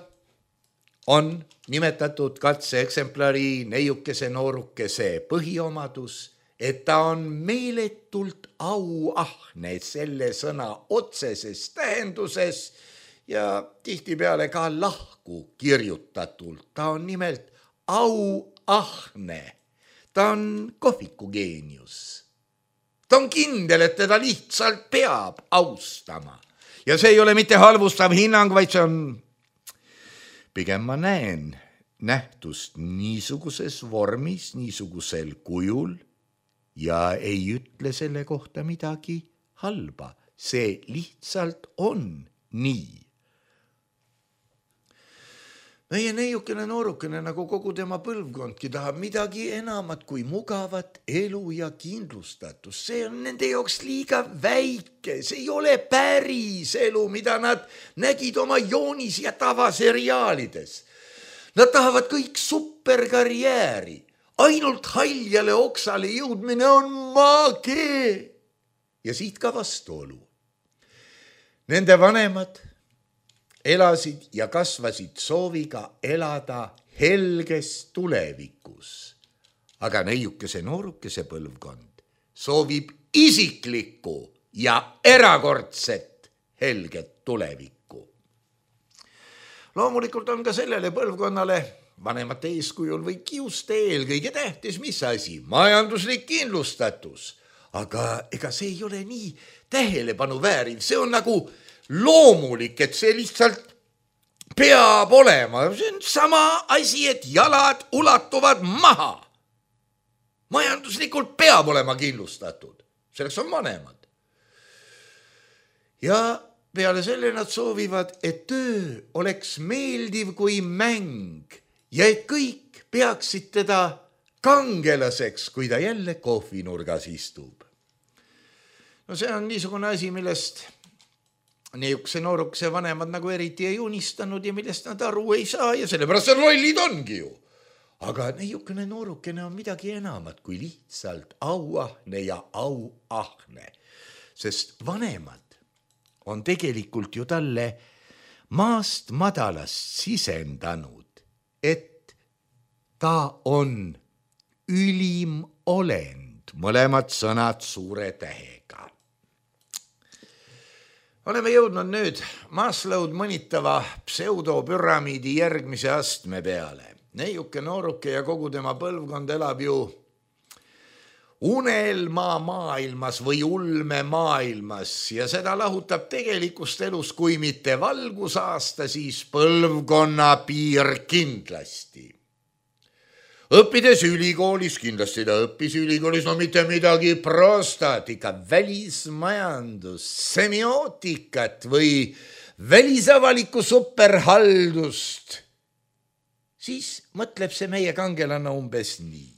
on nimetatud katseeksemplari neiukese noorukese põhiomadus, et ta on meeletult auahne selle sõna otseses tähenduses ja tihtipeale ka lahku kirjutatult. Ta on nimelt auahne. Ta on kohviku geenius. Ta on kindel, et teda lihtsalt peab austama. Ja see ei ole mitte halvustav hinnang, vaid see on, pigem ma näen nähtust niisuguses vormis, niisugusel kujul ja ei ütle selle kohta midagi halba. See lihtsalt on nii. Meie neiukene noorukene, nagu kogu tema põlvkondki, tahab midagi enamat kui mugavat elu ja kindlustatus. See on nende jaoks liiga väike, see ei ole päris elu, mida nad nägid oma joonis- ja tavaseriaalides. Nad tahavad kõik superkarjääri. Ainult haljale oksale jõudmine on maagee. Ja siit ka vastuolu. Nende vanemad elasid ja kasvasid sooviga elada helges tulevikus. Aga neiukese noorukese põlvkond soovib isiklikku ja erakordset helget tulevikku. Loomulikult on ka sellele põlvkonnale vanemate eeskujul või kiuste eelkõige tähtis, mis asi? Majanduslik kindlustatus. Aga ega see ei ole nii tähelepanu vääriv. See on nagu loomulik, et see lihtsalt peab olema. See on sama asi, et jalad ulatuvad maha. Majanduslikult peab olema kindlustatud. Selleks on vanemad. Ja peale selle nad soovivad, et töö oleks meeldiv kui mäng ja et kõik peaksid teda kangelaseks, kui ta jälle kohvinurgas istub. No see on niisugune asi, millest niisuguse noorukese vanemad nagu eriti ei unistanud ja millest nad aru ei saa ja sellepärast rollid ongi ju. Aga niisugune noorukene on midagi enamat kui lihtsalt auahne ja auahne, sest vanemad on tegelikult ju talle maast madalast sisendanud, et ta on ülim olend, mõlemad sõnad suure tähega. Oleme jõudnud nüüd Maslow'd mõnitava pseudopüramiidi järgmise astme peale. Neiuke nooruke ja kogu tema põlvkond elab ju unelma maailmas või ulme maailmas ja seda lahutab tegelikust elus, kui mitte valgusaasta, siis põlvkonna piir kindlasti. Õppides ülikoolis, kindlasti ta õppis ülikoolis, no mitte midagi prostat, ikka välismajandus, semiootikat või välisavalikku superhaldust, siis mõtleb see meie kangelane umbes nii.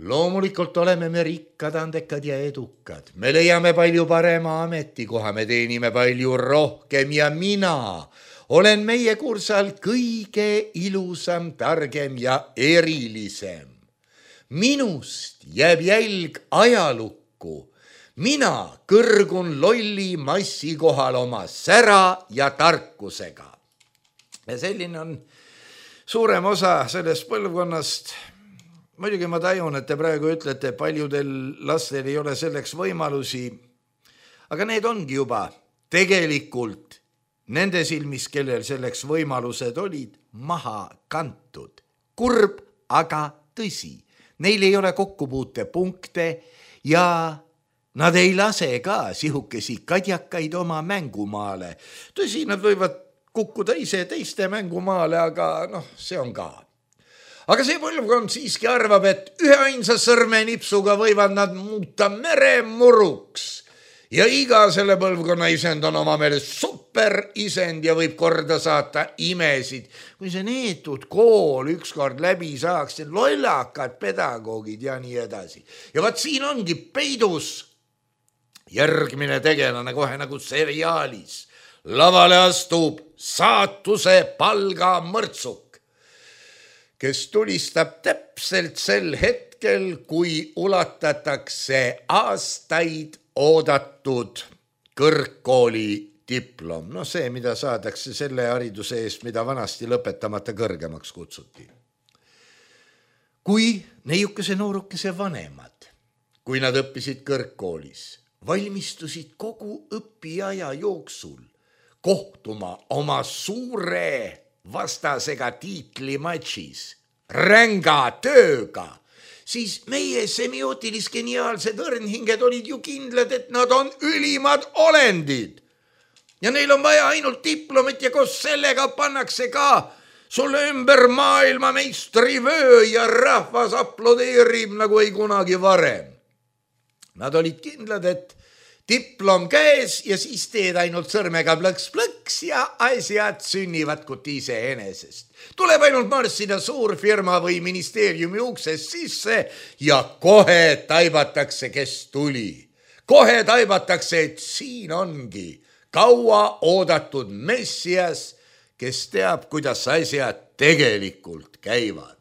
Loomulikult oleme me rikkad, andekad ja edukad. Me leiame palju parema ametikoha, me teenime palju rohkem ja mina olen meie kursal kõige ilusam, targem ja erilisem. Minust jääb jälg ajalukku. Mina kõrgun lolli massi kohal oma sära ja tarkusega. Ja selline on suurem osa sellest põlvkonnast. Muidugi ma tajun, et te praegu ütlete, paljudel lastel ei ole selleks võimalusi, aga need ongi juba tegelikult nende silmis, kellel selleks võimalused olid, maha kantud. Kurb, aga tõsi. Neil ei ole kokkupuutepunkte ja nad ei lase ka sihukesi kadjakaid oma mängumaale. Tõsi, nad võivad kukkuda ise teiste mängumaale, aga see on ka. Aga see põlvkond siiski arvab, et üheainsa sõrmenipsuga võivad nad muuta meremuruks. Ja iga selle põlvkonna isend on oma meelest super isend ja võib korda saata imesid. Kui see neetud kool ükskord läbi saaks, lollakad pedagoogid ja nii edasi. Ja vaat siin ongi peidus järgmine tegelane kohe nagu seriaalis. Lavale astub saatuse palgamõrtsuk, kes tulistab täpselt sel hetkel, kui ulatatakse aastaid oodatud kõrgkooli diplom. See, mida saadakse selle hariduse eest, mida vanasti lõpetamata kõrgemaks kutsuti. Kui neiukese noorukese vanemad, kui nad õppisid kõrgkoolis, valmistusid kogu õpiaja jooksul kohtuma oma suure vastasega tiitlimatšis, ränga tööga, siis meie semiootilis-geniaalsed õrnhinged olid ju kindlad, et nad on ülimad olendid. Ja neil on vaja ainult diplomit ja koos sellega pannakse ka sulle ümber maailma meistrivöö ja rahvas aplodeerib nagu ei kunagi varem. Nad olid kindlad, et diplom käes ja siis teed ainult sõrmega plõks-plõks ja asjad sünnivad kuti iseenesest. Tuleb ainult marssida suurfirma või ministeeriumi uksest sisse ja kohe taibatakse, kes tuli. Kohe taibatakse, et siin ongi kaua oodatud messias, kes teab, kuidas asjad tegelikult käivad.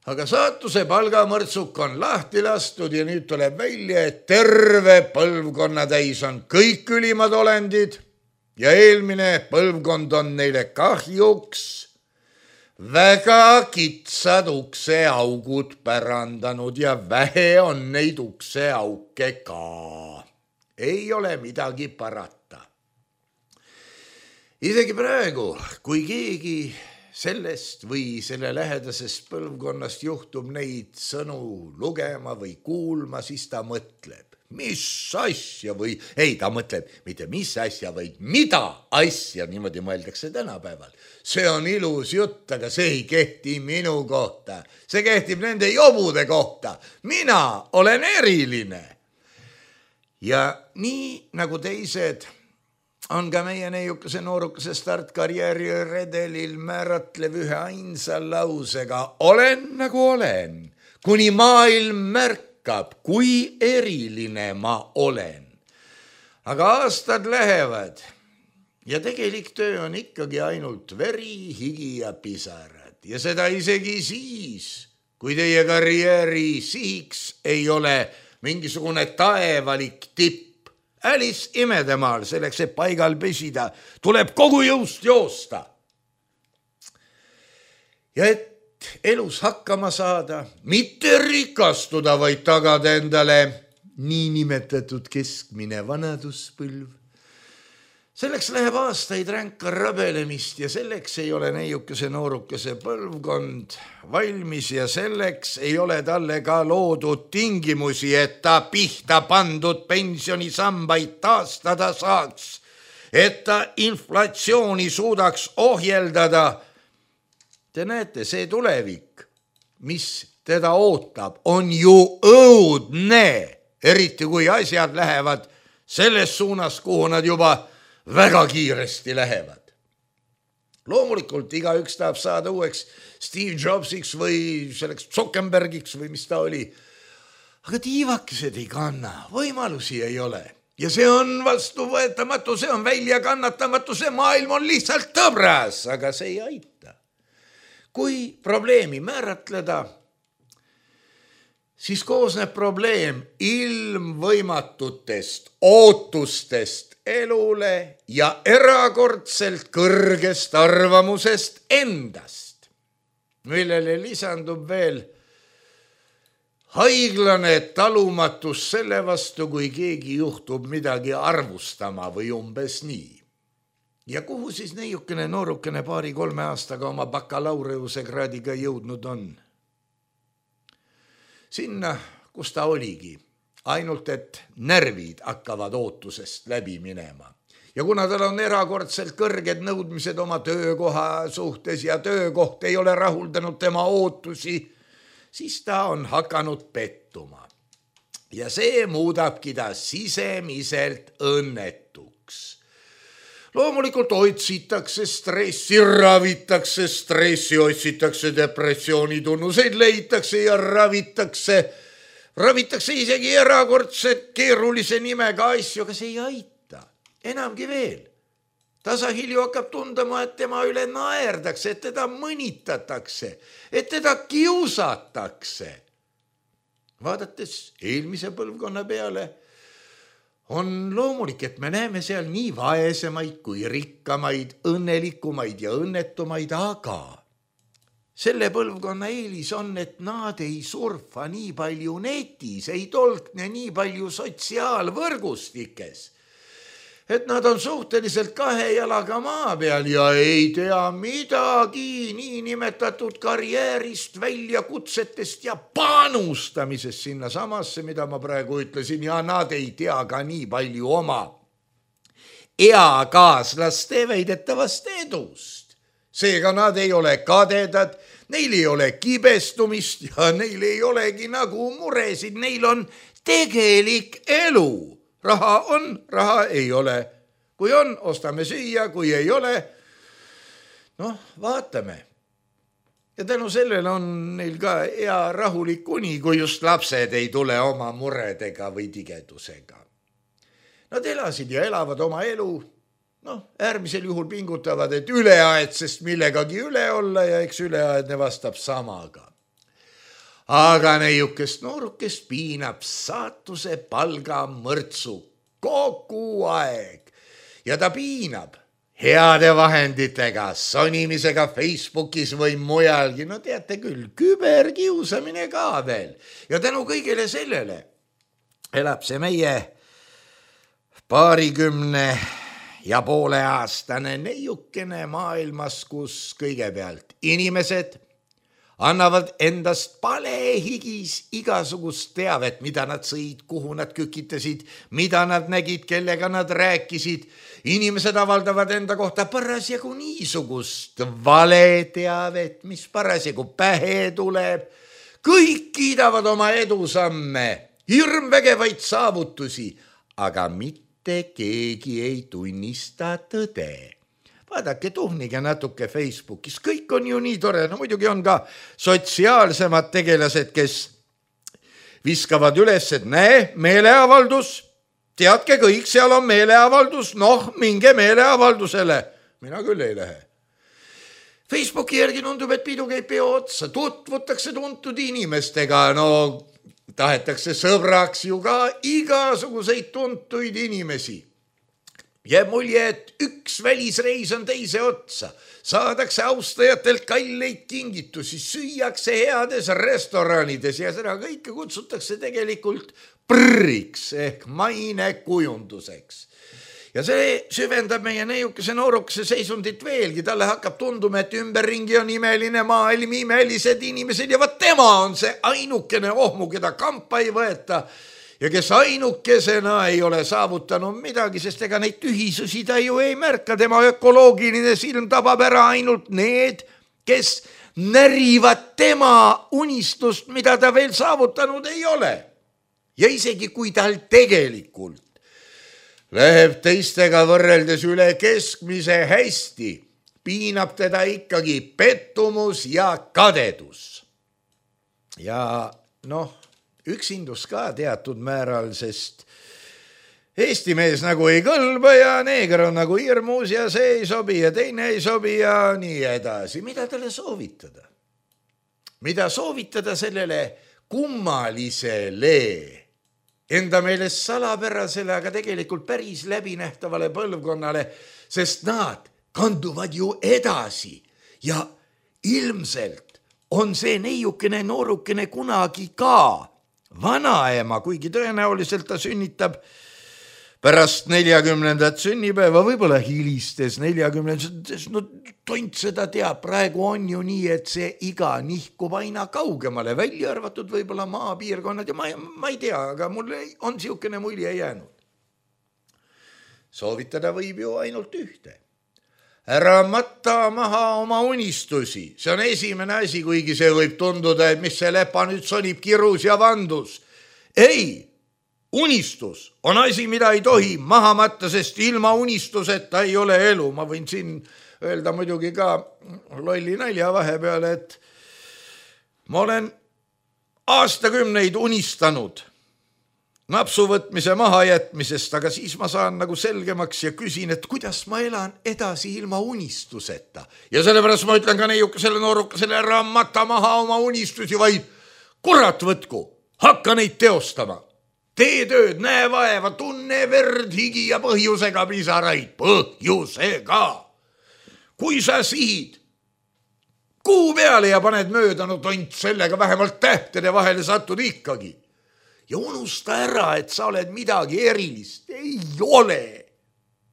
Aga saatuse palgamõrtsuk on lahti lastud ja nüüd tuleb välja, et terve põlvkonna täis on kõik ülimad olendid ja eelmine põlvkond on neile kahjuks väga kitsad ukseaugud pärandanud ja vähe on neid ukseauke ka. Ei ole midagi parata. Isegi praegu, kui keegi sellest või selle lähedasest põlvkonnast juhtub neid sõnu lugema või kuulma, siis ta mõtleb, mis asja või, ei, ta mõtleb mitte mis asja, vaid mida asja, niimoodi mõeldakse tänapäeval. See on ilus jutt, aga see ei kehti minu kohta. See kehtib nende jobude kohta. Mina olen eriline. Ja nii nagu teised on ka meie neiukese noorukese startkarjääri redelil määratlev ühe ainsa lausega olen nagu olen, kuni maailm märkab, kui eriline ma olen. Aga aastad lähevad ja tegelik töö on ikkagi ainult veri, higi ja pisarad. Ja seda isegi siis, kui teie karjääri sihiks ei ole mingisugune taevalik tipp. Alice imedemaal, selleks, et paigal pesida, tuleb kogu jõust joosta. Ja et elus hakkama saada, mitte rikastuda, vaid tagada endale niinimetatud keskmine vanaduspõlv. Selleks läheb aastaid ränka rabelemist ja selleks ei ole neiukese noorukese põlvkond valmis ja selleks ei ole talle ka loodud tingimusi, et ta pihta pandud pensionisambaid taastada saaks, et ta inflatsiooni suudaks ohjeldada. Te näete, see tulevik, mis teda ootab, on ju õudne, eriti kui asjad lähevad selles suunas, kuhu nad juba väga kiiresti lähevad. loomulikult igaüks tahab saada uueks Steve Jobsiks või selleks Zuckerbergiks või mis ta oli. Aga tiivakesed ei kanna, võimalusi ei ole. Ja see on vastuvõetamatu, see on väljakannatamatu, see maailm on lihtsalt tõbras, aga see ei aita. Kui probleemi määratleda, siis koosneb probleem ilmvõimatutest ootustest elule ja erakordselt kõrgest arvamusest endast, millele lisandub veel haiglane talumatus selle vastu, kui keegi juhtub midagi arvustama või umbes nii. Ja kuhu siis neiukene noorukene 2-3 aastaga oma bakalaureuse kraadiga jõudnud on? Sinna, kus ta oligi, ainult et närvid hakkavad ootusest läbi minema. Ja kuna tal on erakordselt kõrged nõudmised oma töökoha suhtes ja töökoht ei ole rahuldanud tema ootusi, siis ta on hakanud pettuma. Ja see muudabki ta sisemiselt õnnetuks. Loomulikult otsitakse stressi, ravitakse stressi, otsitakse depressiooni tunnuseid, leitakse ja ravitakse isegi erakordselt keerulise nimega asju, aga see ei aita. Enamgi veel. Tasahilju hakkab tundama, et tema üle naerdakse, et teda mõnitatakse, et teda kiusatakse. Vaadates eelmise põlvkonna peale, on loomulik, et me näeme seal nii vaesemaid kui rikkamaid, õnnelikumaid ja õnnetumaid, aga selle põlvkonna eelis on, et nad ei surfa nii palju netis, ei tolkne nii palju sotsiaalvõrgustikes, et nad on suhteliselt 2 jalaga maa peal ja ei tea midagi niinimetatud karjäärist, väljakutsetest ja panustamisest sinna samasse, mida ma praegu ütlesin, ja nad ei tea ka nii palju oma eakaaslaste väidetavast edust. Seega nad ei ole kadedad, neil ei ole kibestumist ja neil ei olegi nagu muresid, neil on tegelik elu. Raha on, raha ei ole. Kui on, ostame süüa, kui ei ole, vaatame. Ja tänu sellele on neil ka hea rahulik uni, kui just lapsed ei tule oma muredega või tigedusega. Nad elasid ja elavad oma elu, äärmisel juhul pingutavad, et üleaedsest millegagi üle olla ja eks üleaedne vastab samaga. Aga neiukest noorukest piinab saatuse palga mõrtsu kogu aeg ja ta piinab heade vahenditega, sonimisega Facebookis või mujalgi, teate küll, küberkiusamine ka veel. Ja tänu kõigele sellele elab see meie 20 aastane neiukene maailmas, kus kõigepealt inimesed annavad endast palehigis igasugust teavet, mida nad sõid, kuhu nad kükitasid, mida nad nägid, kellega nad rääkisid. Inimesed avaldavad enda kohta parasjagu niisugust valeteavet, mis parasjagu pähe tuleb. Kõik kiidavad oma edusamme, hirmvägevaid saavutusi, aga mitte keegi ei tunnista tõde. Vaadake, tuhnige natuke Facebookis, kõik on ju nii tore, muidugi on ka sotsiaalsemad tegelased, kes viskavad üles, et näe, meeleavaldus, teadke kõik, seal on meeleavaldus, minge meeleavaldusele. Mina küll ei lähe. Facebooki järgi tundub, et pidu käib peo otsa, tutvutakse tuntud inimestega, tahetakse sõbraks ju ka igasuguseid tuntuid inimesi. Jääb mulje, et üks välisreis on teise otsa. Saadakse austajatelt kalleid kingitusi, süüakse heades restoranides ja seda kõike kutsutakse tegelikult prõriks ehk mainekujunduseks. Ja see süvendab meie neiukese noorukese seisundit veelgi. Talle hakkab tunduma, et ümberringi on imeline maailm, imelised inimesed ja tema on see ainukene ohmu, keda kampa ei võeta. Ja kes ainukesena ei ole saavutanud midagi, sest ega neid tühisusi ta ju ei märka. Tema ökoloogiline silm tabab ära ainult need, kes närivad tema unistust, mida ta veel saavutanud ei ole. Ja isegi kui tal tegelikult läheb teistega võrreldes üle keskmise hästi, piinab teda ikkagi pettumus ja kadedus. Ja üksindus ka teatud määral, sest Eesti mees nagu ei kõlba ja neeger on nagu hirmus ja see ei sobi ja teine ei sobi ja nii edasi. Mida talle soovitada? Mida soovitada sellele kummalisele, enda meelest salapärasele, aga tegelikult päris läbinähtavale põlvkonnale, sest nad kanduvad ju edasi ja ilmselt on see neiukene noorukene kunagi ka vanaema, kuigi tõenäoliselt ta sünnitab pärast 40. sünnipäeva, võib-olla hilistes 40. Tont seda teab, praegu on ju nii, et see iga nihkub aina kaugemale, välja arvatud võib-olla maapiirkonnad ja ma ei tea, aga mul on siukene mulje jäänud. Soovitada võib ju ainult ühte. Ära matta maha oma unistusi. See on esimene asi, kuigi see võib tunduda, et mis see lepa nüüd sonib kirus ja vandus. Ei, unistus on asi, mida ei tohi maha matta, sest ilma unistuseta ei ole elu. Ma võin siin öelda muidugi ka lolli nalja vahepeale, et ma olen aastakümneid unistanud napsuvõtmise mahajätmisest, aga siis ma saan nagu selgemaks ja küsin, et kuidas ma elan edasi ilma unistuseta. Ja sellepärast ma ütlen ka neiukesele noorukesele, ära mata maha oma unistusi, vaid kurat võtku, hakka neid teostama. Tee tööd, näe vaeva, tunne verd, higi ja põhjusega pisaraid. Põhjusega. Kui sa sihid kuu peale ja paned mööda, tont sellega vähemalt tähtede vahele satud ikkagi. Ja unusta ära, et sa oled midagi erilist. Ei ole.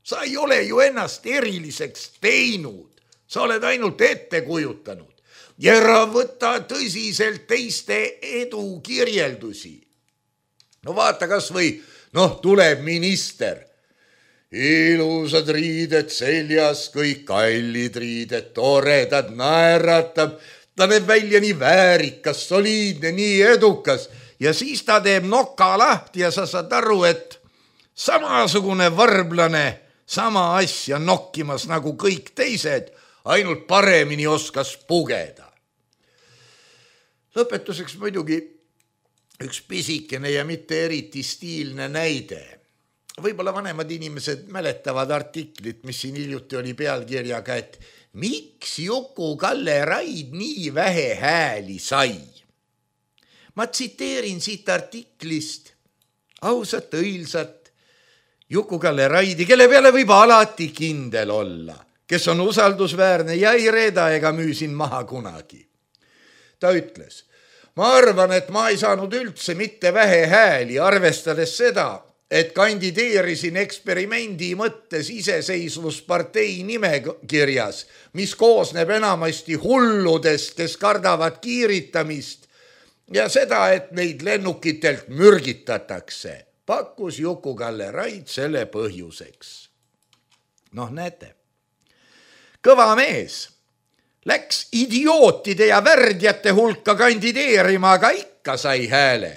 Sa ei ole ju ennast eriliseks teinud. Sa oled ainult ette kujutanud. Ja ära võta tõsiselt teiste edu kirjeldusi. Vaata kas või, tuleb minister. Ilusad riided seljas, kõik kallid riided, toredad, naeratab. Ta näeb välja nii väärikas, soliidne, nii edukas. Ja siis ta teeb noka lahti ja sa saad aru, et samasugune varblane sama asja nokkimas nagu kõik teised, ainult paremini oskas pugeda. Lõpetuseks muidugi üks pisikene ja mitte eriti stiilne näide. Võib-olla vanemad inimesed mäletavad artiklit, mis siin hiljuti oli pealkirjaga, et miks Juku-Kalle Raid nii vähe hääli sai? Ma tsiteerin siit artiklist ausat, õilsat Juku-Kalle Raidi, kelle peale võib alati kindel olla, kes on usaldusväärne ja ei reeda ega müü siin maha kunagi. Ta ütles, ma arvan, et ma ei saanud üldse mitte vähe hääli, arvestades seda, et kandideerisin eksperimendi mõttes iseseisvuspartei nimekirjas, mis koosneb enamasti hulludest, kes kardavad kiiritamist, ja seda, et neid lennukitelt mürgitatakse, pakkus Juku-Kalle Raid selle põhjuseks. Näete, kõva mees läks idiootide ja värdjate hulka kandideerima, aga ikka sai hääle.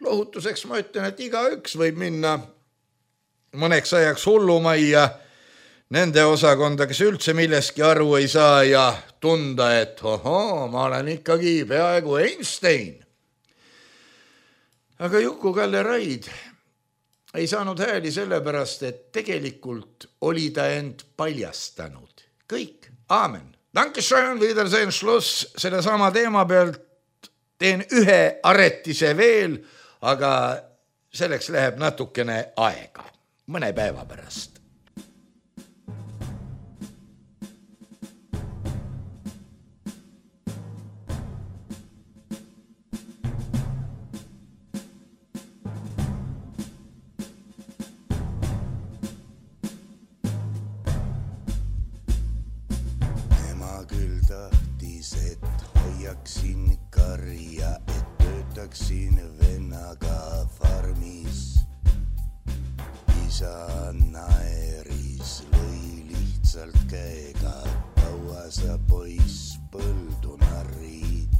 Lohutuseks ma ütlen, et igaüks võib minna mõneks ajaks hullumajja nende osakonda, kes üldse milleski aru ei saa ja tunda, et ma olen ikkagi peaaegu Einstein. Aga Juku-Kalle Raid ei saanud hääli sellepärast, et tegelikult oli ta end paljastanud. Kõik, aamen. Dankeschön, Wiedersehen, Schluss. Selle sama teema pealt teen ühe aretise veel, aga selleks läheb natukene aega, mõne päeva pärast. Hoiaksin karja, et töötaksin vennaga farmis. Isa naeris, lõi lihtsalt käega, kaua sa poiss põldu narrid.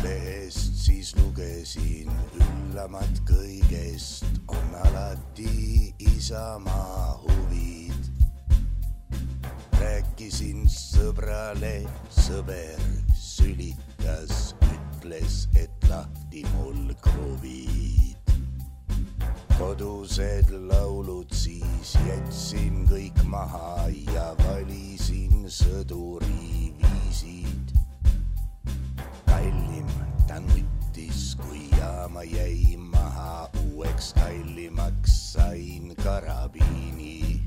Lehest siis lugesin, üllamad kõigest on alati isamaa huvid. rääkisin sõbrale, sõber sülitas, ütles, et lahti mul kruvid. Kodused laulud siis jätsin kõik maha ja valisin sõduri viisid. Kallim ta nuttis, kui jaama jäi maha, uueks kallimaks sain karabiini.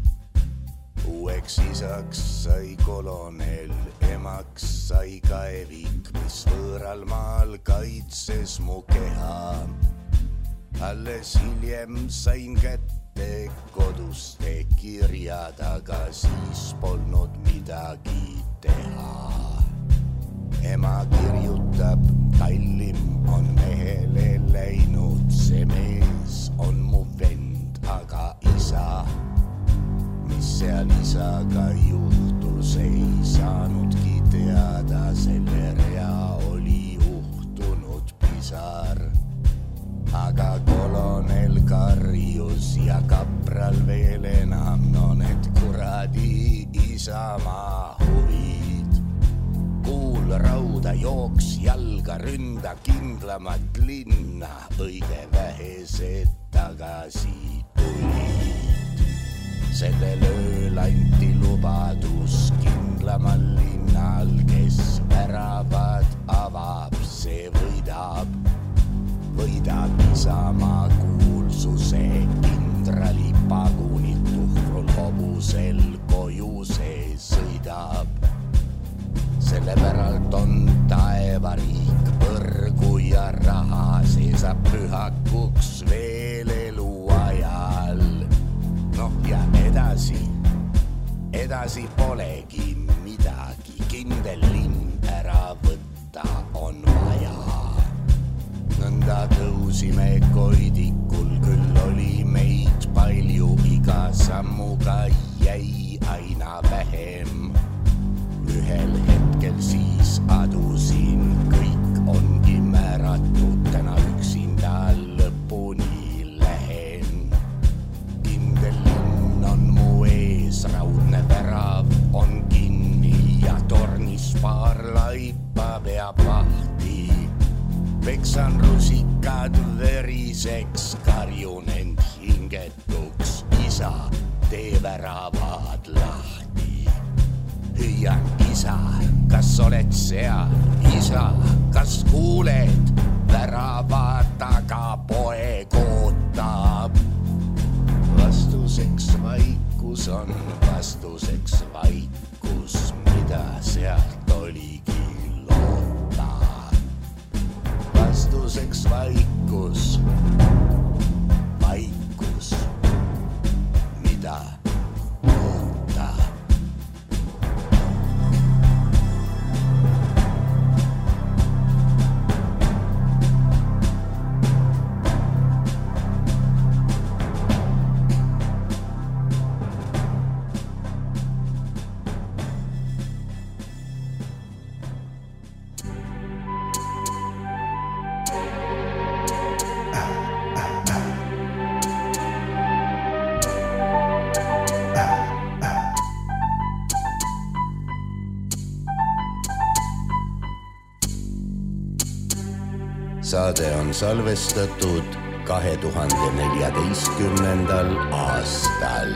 Uueks isaks sai kolonel, emaks sai kaevik, mis võõral maal kaitses mu keha. Alles hiljem sain kätte koduste kirjad, aga siis polnud midagi teha. Ema kirjutab, kallim on mehele läinud, see mees on mu vend, aga isa. Mis seal isaga juhtus, ei saanudki teada, selle rea oli uhtunud pisar. Aga kolonel karjus ja kapral veel enam, no need kuradi isamaa huvid. Kuul rauda jooks jalga, ründa kindlamat linna, õige vähesed tagasi tulid. Sellel ööl anti lubadus kindlamal linnal, kes väravad avab, see võidab. Võidab isamaa kuulsuse, kindrali pagunid tuhrul hobusel koju see sõidab. Selle päralt on taevariik, põrgu ja raha, see saab pühakuks veel eluajal. Noh ja edasi polegi midagi, kindel linn ära võtta on vaja. Nõnda tõusime koidikul, küll oli meid palju, iga sammuga jäi aina vähem. Ühel hetkel siis adusin, kõik ongi määratud, täna üksinda lõpuni lähen. Kindel linn on mu ees, raudne värav on kinni ja tornis paar laipa peab lahti. Peksan rusikad veriseks, karjun end hingetuks, isa, tee väravad lahti. Hüüan, isa, kas oled seal? Isa, kas kuuled? Värava taga poeg ootab. Vastuseks vaikus on, vastuseks vaikus, mida sealt oligi loota. Vastuseks vaikus, vaikus, mida loota. Saade on salvestatud 2014. aastal.